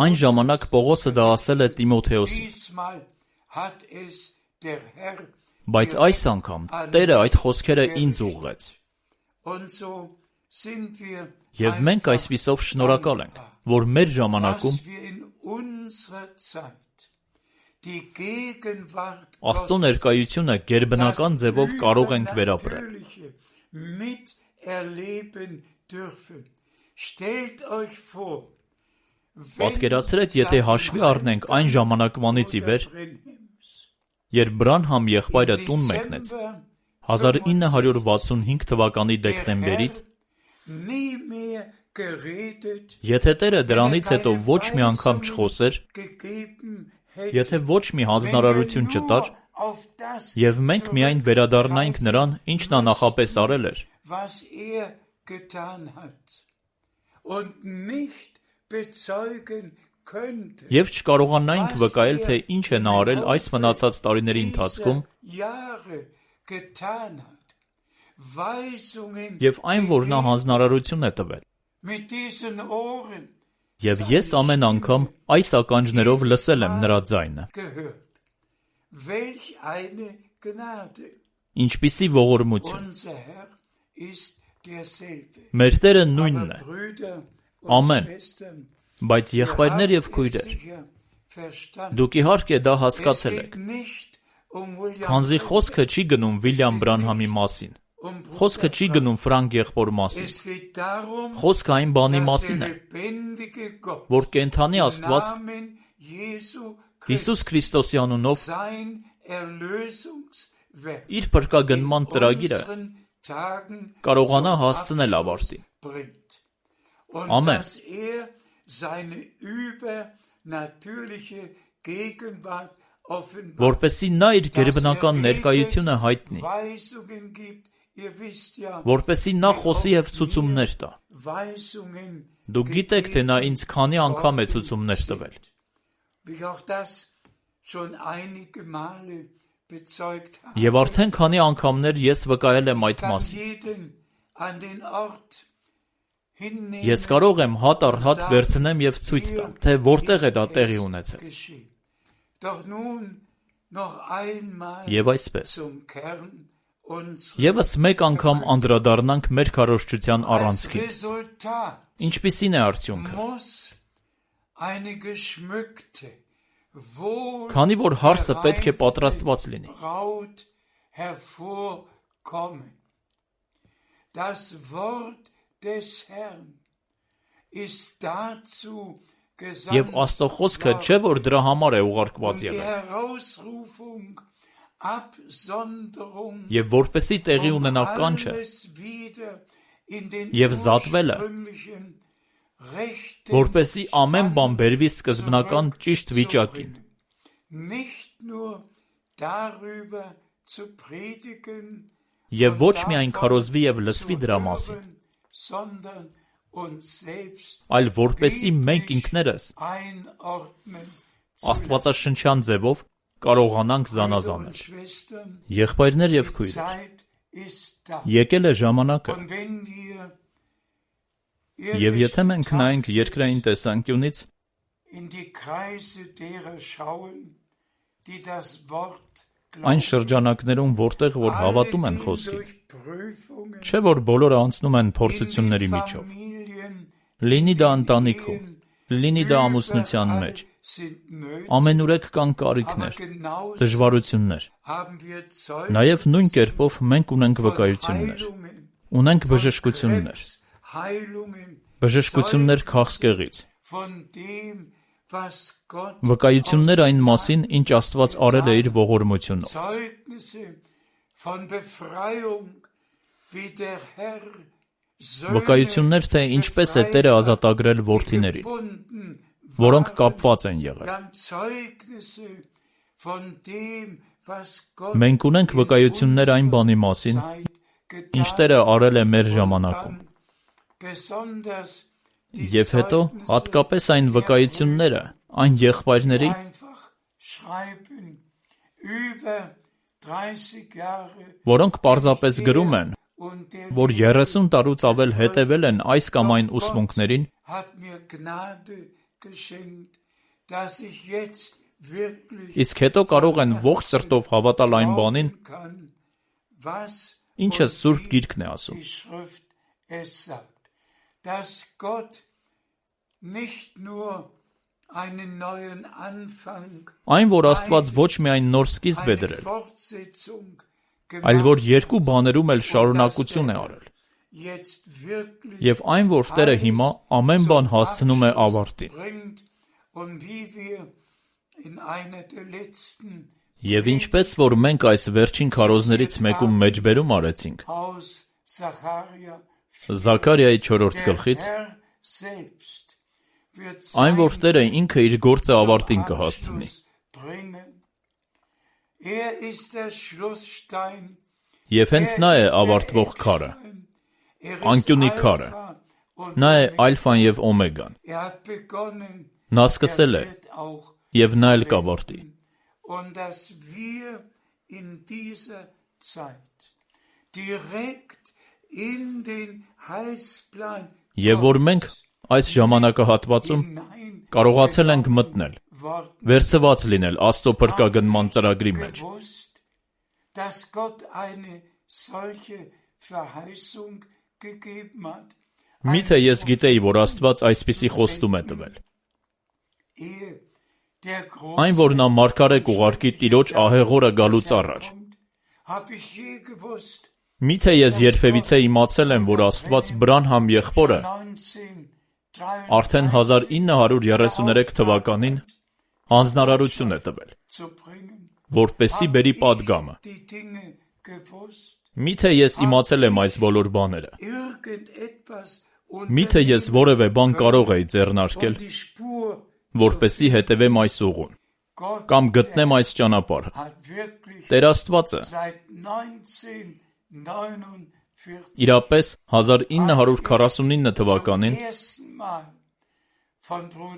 [SPEAKER 1] Այն ժամանակ Պողոսը դա ասել է Տիմոթեոսին։ Բայց այս անգամ Տերը այդ խոսքերը ինձ ուղղեց։ Եվ մենք այսպիսով շնորհակալ ենք, որ մեր ժամանակում Աստծո ներկայությունը գերբնական ձևով կարող ենք վերապրել։ Պատկերացրեք, եթե հաշվի առնենք այն ժամանակվանից ի վեր, երբ Բրանհամ եղբայրը տուն մեկնեց, 1965 թվականի դեկտեմբերից, եթե Տերը դրանից հետո ոչ մի անգամ չխոսեր, եթե ոչ մի հանձնարարություն չտար, եւ մենք միայն վերադառնայինք նրան, ինչ նա նախապես արել էր, եւ չկարողանայինք վկայել, թե ինչ է նա արել այս մնացած տարիների ընթացքում, եւ այն, որ նա հանձնարարություն է տվել։ Եվ ես ամեն անգամ այս ականջներով լսել եմ նրա ձայնը։ Ինչպիսի ողորմություն։ Մեր Տերը նույնն է։ Ամեն։ Բայց եղբայրներ եւ քույրեր, դուք իհարկե դա հասկացել եք։ Քանզի խոսքը չի գնում Վիլյամ Բրանհամի մասին, խոսքը չի գնում Ֆրանկ եղբոր մասին, խոսքը այն բանի մասին է, որ կենդանի Աստված Հիսուս Քրիստոսի անունով իր փրկագնման ծրագիրը կարողանա հասցնել ավարտին։ Ամեն։ Որպեսզի նա իր գերբնական ներկայությունը հայտնի, որպեսզի նա խոսի և ցուցումներ տա։ Դուք գիտեք, թե նա ինձ քանի անգամ է ցուցումներ տվել։ Եվ արդեն քանի անգամներ ես վկայել եմ այդ մասին։ Ես կարող եմ հատ առ հատ վերցնեմ և ցույց տամ, թե որտեղ է դա տեղի ունեցել։ Եվ այսպես, ևս մեկ անգամ անդրադառնանք մեր քարոզչության առանցքին։ Ինչպիսին է արդյունքը։ Քանի որ հարսը պետք է պատրաստված լինի։ Եվ Աստծո խոսքը չէ, որ դրա համար է ուղարկված եղել։ Եվ որպեսզի տեղի ունենա կանչը և զատվելը, որպեսզի ամեն բան բերվի սկզբնական ճիշտ վիճակին։ Եվ ոչ միայն քարոզվի և լսվի դրա մասին, այլ որպեսզի մենք ինքներս աստվածաշնչյան ձևով կարողանանք զանազանել։ Եղբայրներ և քույրեր, եկել է ժամանակը, և եթե մենք նայենք երկրային տեսանկյունից, այն շրջանակներում, որտեղ որ հավատում են խոսքին, չէ որ բոլորը անցնում են փորձությունների միջով, լինի դա ընտանիքում, լինի դա ամուսնության մեջ, ամենուրեք կան կարիքներ, դժվարություններ, նաև նույն կերպով մենք ունենք վկայություններ, ունենք բժշկություններ, բժշկություններ քաղցկեղից, վկայություններ այն մասին, ինչ Աստված արել է իր ողորմությունով։ Վկայություններ, թե ինչպես է Տերը ազատագրել որդիներին, որոնք կապված են եղել։ Մենք ունենք վկայություններ այն բանի մասին, ինչ Տերը արել է մեր ժամանակում։ Եվ հետո հատկապես այն վկայությունները այն եղբայրների, որոնք պարզապես գրում են, որ 30 տարուց ավել հետևել են այս կամ այն ուսմունքներին, իսկ հետո կարող են ողջ սրտով հավատալ այն բանին, ինչը Սուրբ Գիրքն է ասում։ Այն, որ Աստված ոչ միայն նոր սկիզբ է դրել, այլ որ երկու բաներում էլ շարունակություն է արել։ Եվ այն, որ Տերը հիմա ամեն բան հասցնում է ավարտին։ Եվ ինչպես որ մենք այս վերջին քարոզներից մեկում մեջբերում արեցինք, Զաքարիայի 4-րդ գլխից, այն, որ Տերը ինքը իր գործը ավարտին կհասցնի։ Եվ հենց նա է ավարտվող քարը, անկյունի քարը, նա է ալֆան և օմեգան։ Նա սկսել է, և նա էլ կավարտի։ Եվ որ մենք այս ժամանակահատվածում կարողացել ենք մտնել, վերցված լինել Աստծո փրկագնման ծրագրի մեջ։ Միթե ես գիտեի, որ Աստված այսպիսի խոստում է տվել։ Այն, որ նա մարգարե կուղարկի Տիրոջ ահեղորը գալուց առաջ։ Միթե ես երբևիցե իմացել եմ, որ Աստված Բրանհամ եղբորը արդեն 1933 թվականին հանձնարարություն է տվել, որպեսզի բերի պատգամը։ Միթե ես իմացել եմ այս բոլոր բաները։ Միթե ես որևէ բան կարող էի ձեռնարկել, որպեսզի հետևեմ այս ուղուն, կամ գտնեմ այս ճանապարհը։ Տեր Աստվածը իրապես 1949 թվականին,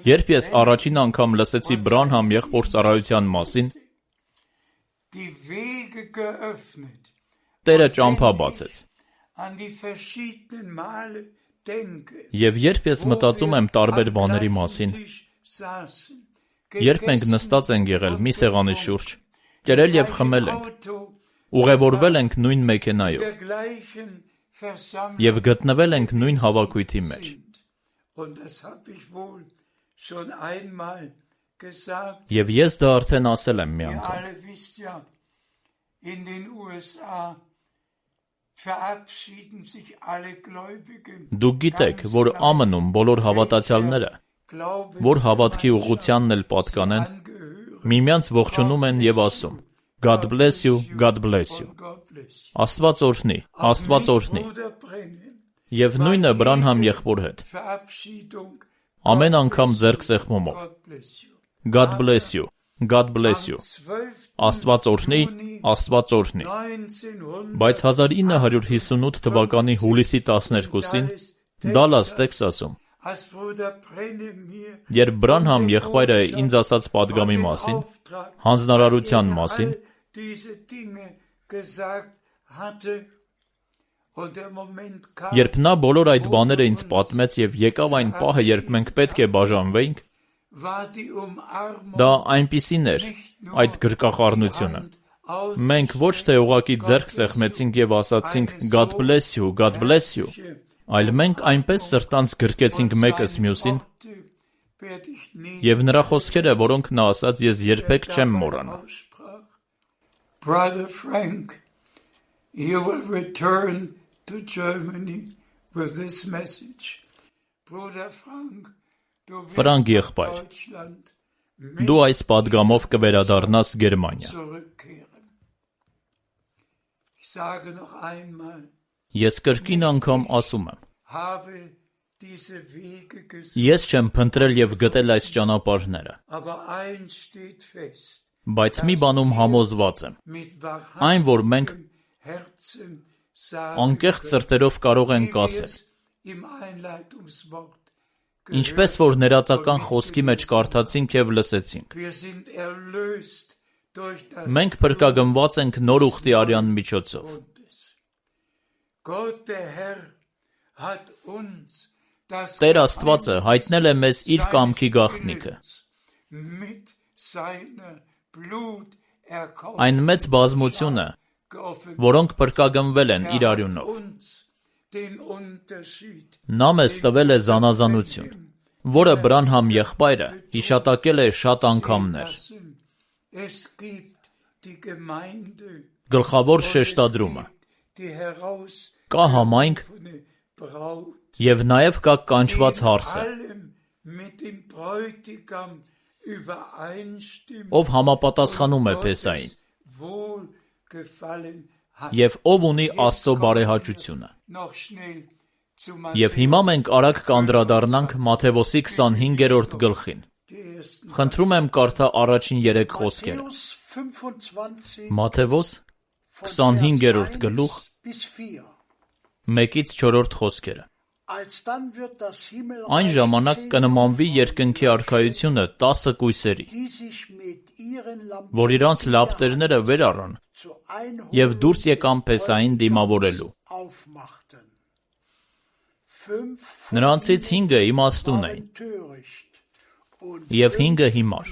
[SPEAKER 1] երբ ես առաջին անգամ լսեցի Բրանհամ եղբոր ծառայության մասին, Տերը ճամփա բացեց։ Եվ երբ ես մտածում եմ տարբեր բաների մասին, երբ մենք նստած ենք եղել մի սեղանի շուրջ, կերել և խմել ենք, ուղևորվել ենք նույն մեքենայով և գտնվել ենք նույն հավաքույթի մեջ։ Եվ ես դա արդեն ասել եմ մի անգամ։ Դուք գիտեք, որ ԱՄՆ-ում բոլոր հավատացյալները, որ հավատքի ուղղությանն էլ պատկանեն, միմյանց ողջունում են և ասում. God bless you, God bless you։ Աստված օրհնի, Աստված օրհնի։ Եվ նույնը Բրանհամ եղբոր հետ։ Ամեն անգամ ձեռք սեղմումով։ God bless you, God bless you։ Աստված օրհնի, Աստված օրհնի։ Բայց 1958 թվականի հուլիսի 12-ին Դալլաս, Տեքսասում, երբ Բրանհամ եղբայրը ինձ ասաց պատգամի մասին, հանձնարարության մասին, երբ նա բոլոր այդ բաները ինձ պատմեց և եկավ այն պահը, երբ մենք պետք է բաժանվեինք, դա այնպիսին էր, այդ գրկախառնությունը։ Մենք ոչ թե ուղղակի ձեռք սեղմեցինք և ասացինք God bless you, God bless you, այլ մենք այնպես սրտանց գրկեցինք մեկս մյուսին, և նրա խոսքերը, որոնք նա ասաց, ես երբեք չեմ մոռանա։
[SPEAKER 2] Brother Frank, you will return to Germany with this message. Brother Frank,
[SPEAKER 1] Ֆրանկ եղբայր, դու այս պատգամով կվերադառնաս Գերմանիա։ Ես կրկին անգամ ասում եմ,
[SPEAKER 2] habe diese Wege gesucht.
[SPEAKER 1] Ես չեմ փնտրել եւ գտել այս ճանապարհները,
[SPEAKER 2] Aber eins steht fest.
[SPEAKER 1] բայց մի բանում համոզված եմ. Այն, որ մենք անկեղծ սրտերով կարող ենք ասել, ինչպես որ ներածական խոսքի մեջ կարդացինք եւ լսեցինք. Մենք փրկագնված ենք նոր ուխտի արյան միջոցով. Տեր Աստվածը հայտնել է մեզ իր կամքի գաղտնիքը. այն մեծ բազմությունը, որոնք փրկագնվել են իր արյունով. նա մեզ տվել է զանազանություն, որը Բրանհամ եղբայրը հիշատակել է շատ անգամներ. գլխավոր շեշտադրումը. կա համայնք և նաև կա կանչված հարսը, ով համապատասխանում է Փեսային, և ով ունի Աստծո բարեհաճությունը. Եվ հիմա մենք արագ կանդրադառնանք Մատթեոսի 25-րդ գլխին. խնդրում եմ կարդա առաջին 3 խոսքերը. Մատթեոս 25-րդ գլուխ 1-ից 4 խոսքերը. Այն ժամանակ կնմանվի երկնքի արքայությունը 10 կույսերի, որ իրանց լապտերները վեր առան և դուրս եկան Փեսային դիմավորելու. նրանցից 5-ը իմաստուն էին և 5-ը հիմար.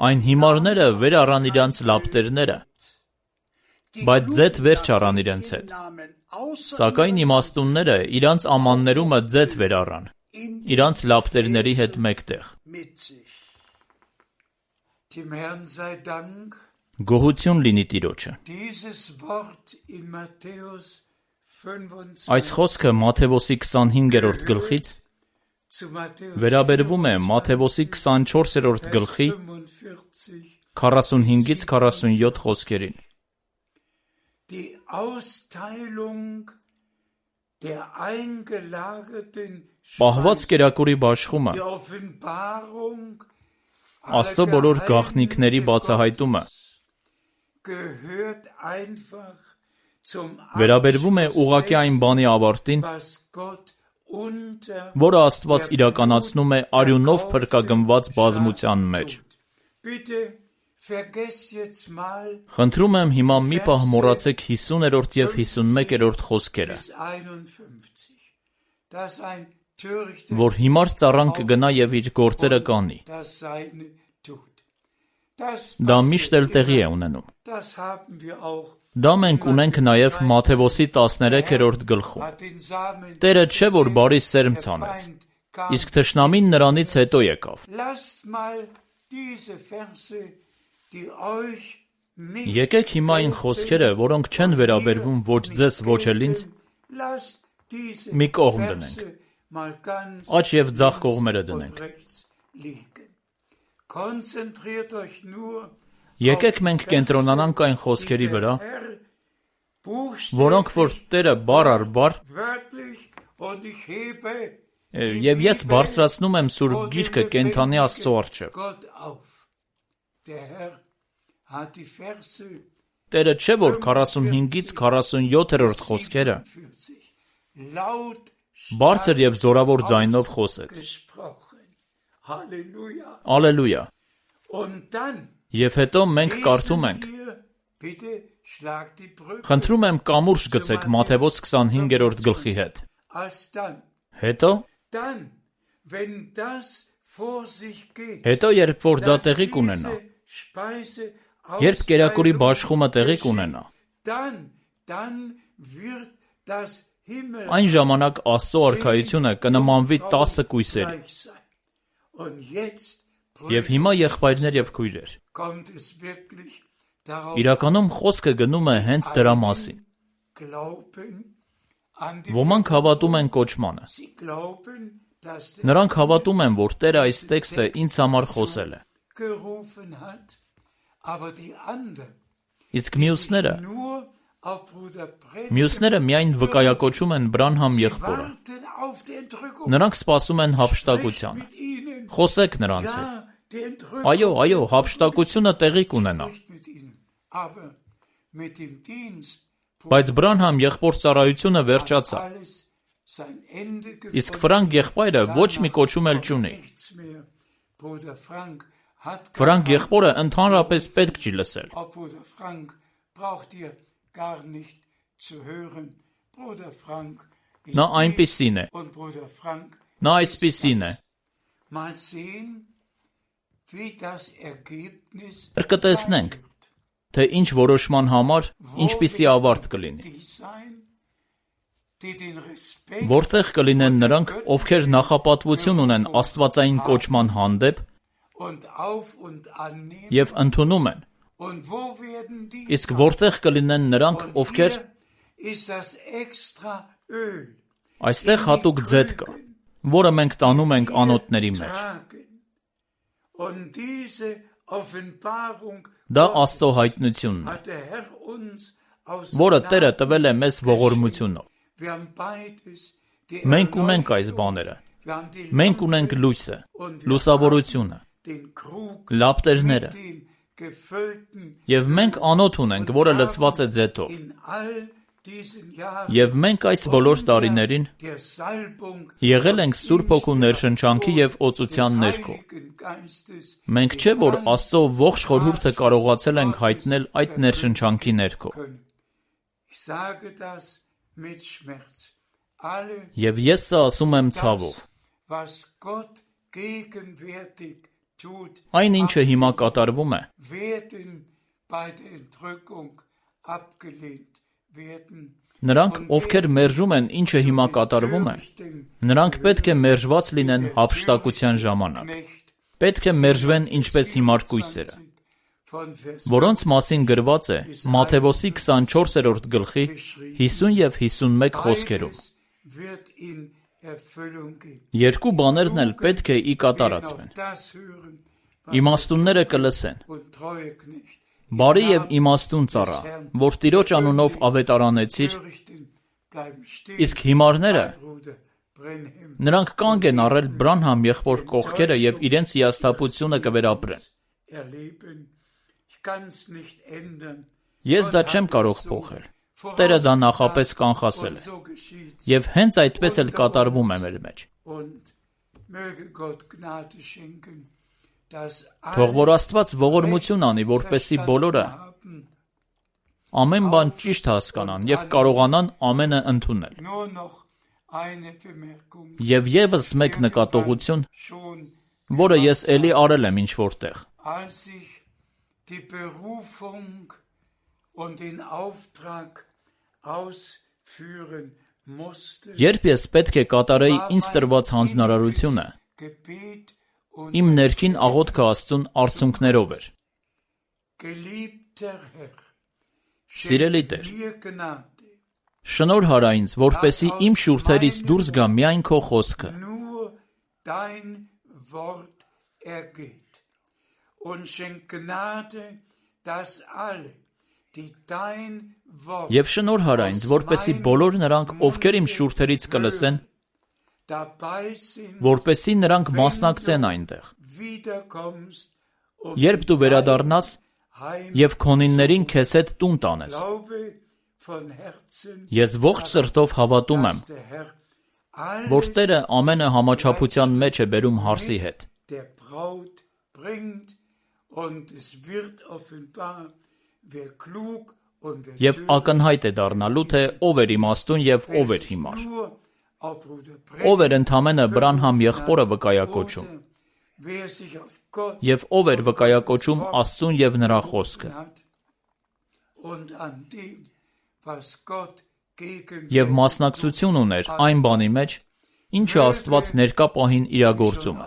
[SPEAKER 1] այն հիմարները վեր առան իրանց լապտերները, բայց ձեթ վեր չառան իրենց հետ, սակայն իմաստունները իրանց ամաններումը ձեթ վեր առան, իրանց լապտերների հետ մեկտեղ. Գոհություն լինի Տիրոջը. այս խոսքը Մատթեոսի 25-րդ գլխից վերաբերվում է Մատթեոսի 24-րդ գլխի 45-ից 47 խոսքերին. պահված կերակուրի բաշխումը, Աստծո բոլոր գաղտնիքների բացահայտումը վերաբերվում է ուղղակի այն բանի ավարտին, որը Աստված իրականացնում է արյունով փրկագնված բազմության մեջ. Խնդրում եմ հիմա մի պահ մոռացեք 50-րդ և 51-րդ խոսքերը, որ հիմար ծառան կգնա և իր գործերը կանի. դա միշտ էլ տեղի է ունենում. դա մենք ունենք նաև Մատթեոսի 13-րդ գլխում. Տերը չէ, որ բարի սերմ ցանեց, իսկ թշնամին նրանից հետո եկավ. Եկեք հիմա այն խոսքերը, որոնք չեն վերաբերվում ոչ ձեզ, ոչ էլ ինձ, մի կողմ դնենք, աջ և ձախ կողմերը դնենք. եկեք մենք կենտրոնանանք այն խոսքերի վրա, որոնք որ Տերը բառ առ բառ, և ես բարձրացնում եմ Սուրբ Գիրքը կենդանի Աստծո առջև. Տերը չէ, որ 45-ից 47-րդ խոսքերը բարձր և զորավոր ձայնով խոսեց. Ալելույա. Եվ հետո մենք կարդում ենք, խնդրում եմ կամուրջ գցեք Մատթեոս 25-րդ գլխի հետ. հետո, երբ որ դա տեղի կունենա, երբ կերակուրի բաշխումը տեղի կունենա, այն ժամանակ Աստծո արքայությունը կնմանվի 10 կույսերի. Եվ հիմա եղբայրներ և քույրեր, իրականում խոսքը գնում է հենց դրա մասին. ոմանք հավատում են կոչմանը. նրանք հավատում են, որ Տերը այս տեքստը ինձ համար խոսել է. Իսկ մյուսները միայն վկայակոչում են Բրանհամ եղբորը։ Նրանք սպասում են հափշտակությանը։ Խոսեք նրանց հետ։ Այո, հափշտակությունը տեղի կունենա։ Բայց Բրանհամ եղբոր ծառայությունը վերջացավ։ Իսկ Ֆրանկ եղբայրը ոչ մի կոչում էլ չունի։ Ֆրանկ եղբորը ընդհանրապես պետք չի լսել։ Նա այնպիսին է։ Նա այսպիսին է։ Կտեսնենք, թե ինչ որոշման համար ինչպիսի ավարտ կլինի։ Որտեղ կլինեն նրանք, ովքեր նախապատվություն ունեն աստվածային կոչման հանդեպ և ընդունում են, իսկ որտեղ կլինեն նրանք, ովքեր այստեղ հատուկ ձետ կա, որը մենք տանում ենք անոթների մեջ։ Դա Աստծո հայտնությունն է, որը Տերը տվել է մեզ ողորմությունով։ Մենք ունենք այս բաները։ Մենք ունենք լույսը, լուսավորությունը, լապտերները, և մենք անոթ ունենք, որը լցված է ձեթով։ Եվ մենք այս բոլոր տարիներին եղել ենք Սուրբ Հոգու ներշնչանքի և օծության ներքո։ Մենք չէ, որ Աստծո ողջ խորհուրդը կարողացել ենք հայտնել այդ ներշնչանքի ներքո։ Եվ ես սա ասում եմ ցավով։ Այն ինչը հիմա կատարվում է, նրանք, ովքեր մերժում են ինչը հիմա կատարվում է, նրանք պետք է մերժված լինեն հափշտակության ժամանակ։ Պետք է մերժվեն ինչպես հիմար կույսերը, որոնց մասին գրված է Մատթեոս 24-րդ գլխի 50 և 51 խոսքերում։ Երկու բաներն էլ պետք է ի կատարածվեն։ Իմաստունները կլսեն։ Բարի և իմաստուն ծառա, որ Տիրոջ անունով ավետարանեցիր, իսկ հիմարները, նրանք կանգ են առել Բրանհամ եղբոր կողքերը և իրենց հիասթափությունը կվերապրեն։ Ես դա չեմ կարող փոխել։ Տերը դա նախապես կանխասել է։ Եվ հենց այդպես էլ կատարվում է մեր մեջ։ Թող որ Աստված ողորմություն անի, որպեսզի բոլորը ամեն բան ճիշտ հասկանան և կարողանան ամենը ընդունել։ Եվ ևս մեկ նկատողություն, որը ես էլի արել եմ ինչ-որ տեղ։ Երբ ես պետք է կատարեի ինձ տրված հանձնարարությունը, իմ ներքին աղոթքը Աստծուն արցունքներով էր. Սիրելի Տեր, շնորհ արա ինձ, որպեսզի իմ շուրթերից դուրս գա միայն քո խոսքը։ Եվ շնորհ արա ինձ, որպեսզի բոլոր նրանք, ովքեր իմ շուրթերից կլսեն, որպեսզի նրանք մասնակցեն այնտեղ։ Երբ դու վերադառնաս և քոնիններին քեզ հետ տուն տանես, ես ողջ սրտով հավատում եմ, որ Տերը ամենը համաչափության մեջ է բերում հարսի հետ։ Եվ ակնհայտ է դառնալու, թե ով էր իմաստուն և ով էր հիմար։ Ով էր ընդամենը Բրանհամ եղբորը վկայակոչում, և ով էր վկայակոչում Աստծուն և նրա խոսքը։ Եվ մասնակցություն ուներ այն բանի մեջ, ինչը Աստված ներկա պահին իրագործում է։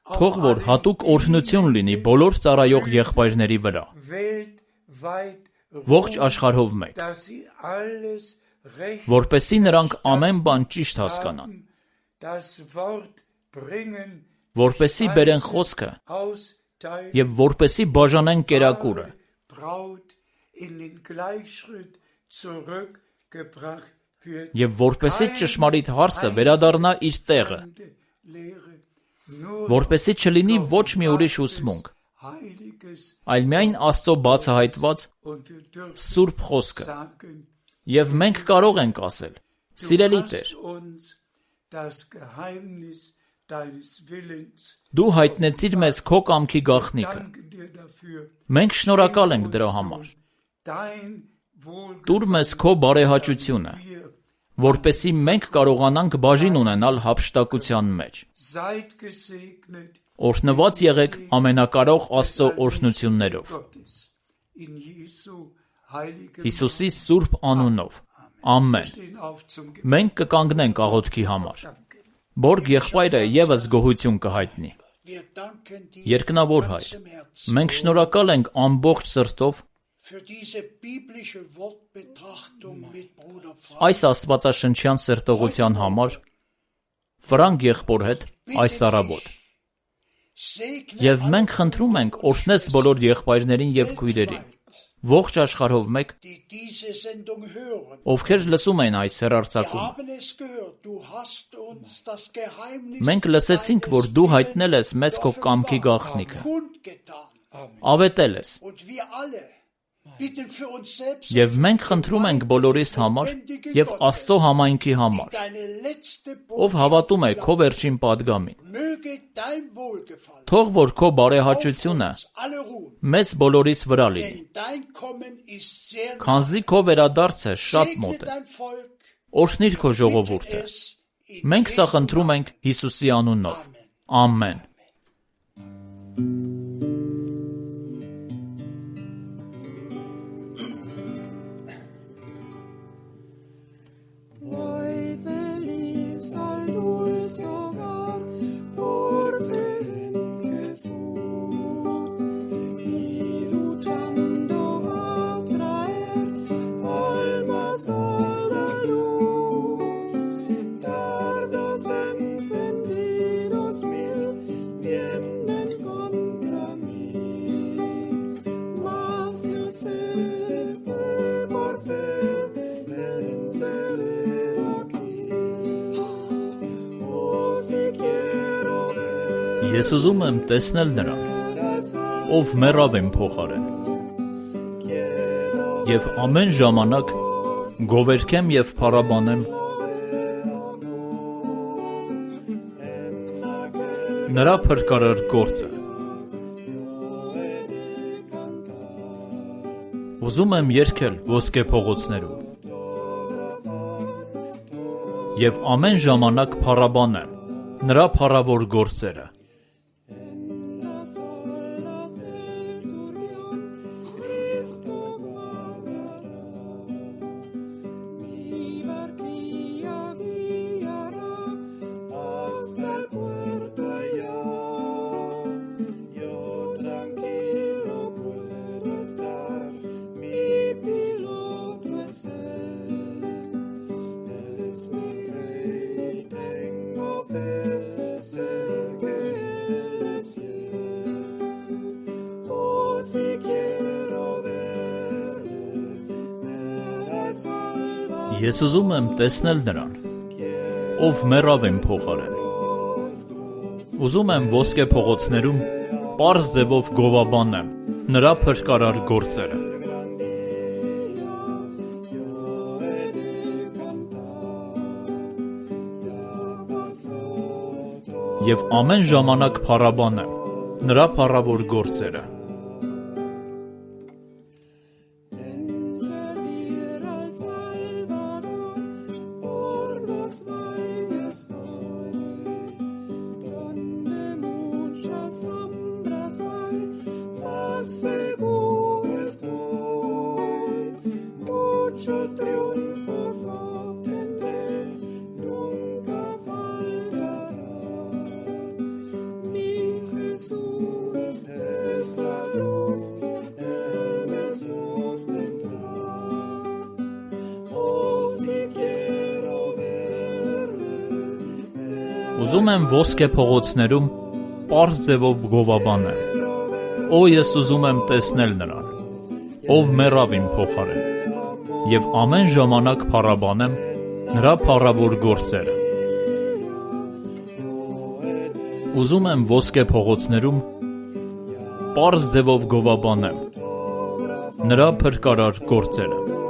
[SPEAKER 1] Թող որ հատուկ օրհնություն լինի բոլոր ծառայող եղբայրների վրա, ողջ աշխարհով մեկ, որպեսզի նրանք ամեն բան ճիշտ հասկանան, որպեսզի բերեն խոսքը եւ որպեսզի բաժանեն կերակուրը, եւ որպեսզի ճշմարիտ հարսը վերադառնա իր տեղը, որպեսզի չլինի ոչ մի ուրիշ ուսմունք, այլ միայն Աստծո բացահայտված սուրբ խոսքը։ Եվ մենք կարող ենք ասել. «Սիրելի Տեր, դու հայտնեցիր մեզ քո կամքի գաղտնիքը։ Մենք շնորհակալ ենք դրա համար։ Տուր մեզ քո բարեհաճությունը, որպեսզի մենք կարողանանք բաժին ունենալ հափշտակության մեջ։ Օրհնված եղեք ամենակարող Աստծո օրհնություններով։ Հիսուսի սուրբ անունով։ Ամեն։ Մենք կկանգնենք աղոթքի համար։ Բորգ եղբայրը ևս գոհություն կհայտնի։ Երկնավոր Հայր, մենք շնորհակալ ենք ամբողջ սրտով այս աստվածաշնչյան սերտողության համար Ֆրանկ եղբոր հետ այս առավոտ։ Եվ մենք խնդրում ենք օրհնես բոլոր եղբայրներին եւ քույրերին, ողջ աշխարհով մեկ, ովքեր լսում են այս հեռարձակումը։ Մենք լսեցինք, որ դու հայտնել ես մեզ քո կամքի գաղտնիքը, ավետել ես։ Եվ մենք խնդրում ենք բոլորիս համար եւ Աստծո համայնքի համար, ով հավատում է քո վերջին պատգամին։ Թող որ քո բարեհաճությունը մեզ բոլորիս վրա լինի, քանզի քո վերադարձը շատ մոտ է։ Օրհնիր քո ժողովուրդը։ Մենք սա խնդրում ենք Հիսուսի անունով։ Ամեն։ Ես ուզում եմ տեսնել նրան, ով մեռավ իմ փոխարեն, եւ ամեն ժամանակ գովերքեմ եւ փառաբանեմ նրա փրկարար գործը։ Ուզում եմ երգել ոսկե փողոցներում եւ ամեն ժամանակ փառաբանեմ նրա փառավոր գործերը։ Ես ուզում եմ տեսնել նրան, ով մեռավ իմ փոխարեն։ Ուզում եմ ոսկե փողոցներում պարզ ձևով գովաբանեմ նրա փրկարար գործերը։ Եվ ամեն ժամանակ փառաբանեմ նրա փառավոր գործերը։ Ուզում եմ ոսկե փողոցներում պարզ ձևով գովաբանեմ։ Օ, ես ուզում եմ տեսնել նրան, ով մեռավ իմ փոխարեն, և ամեն ժամանակ փառաբանեմ նրա փառավոր գործերը։ Ուզում եմ ոսկե փողոցներում պարզ ձևով գովաբանեմ նրա փրկարար գործերը։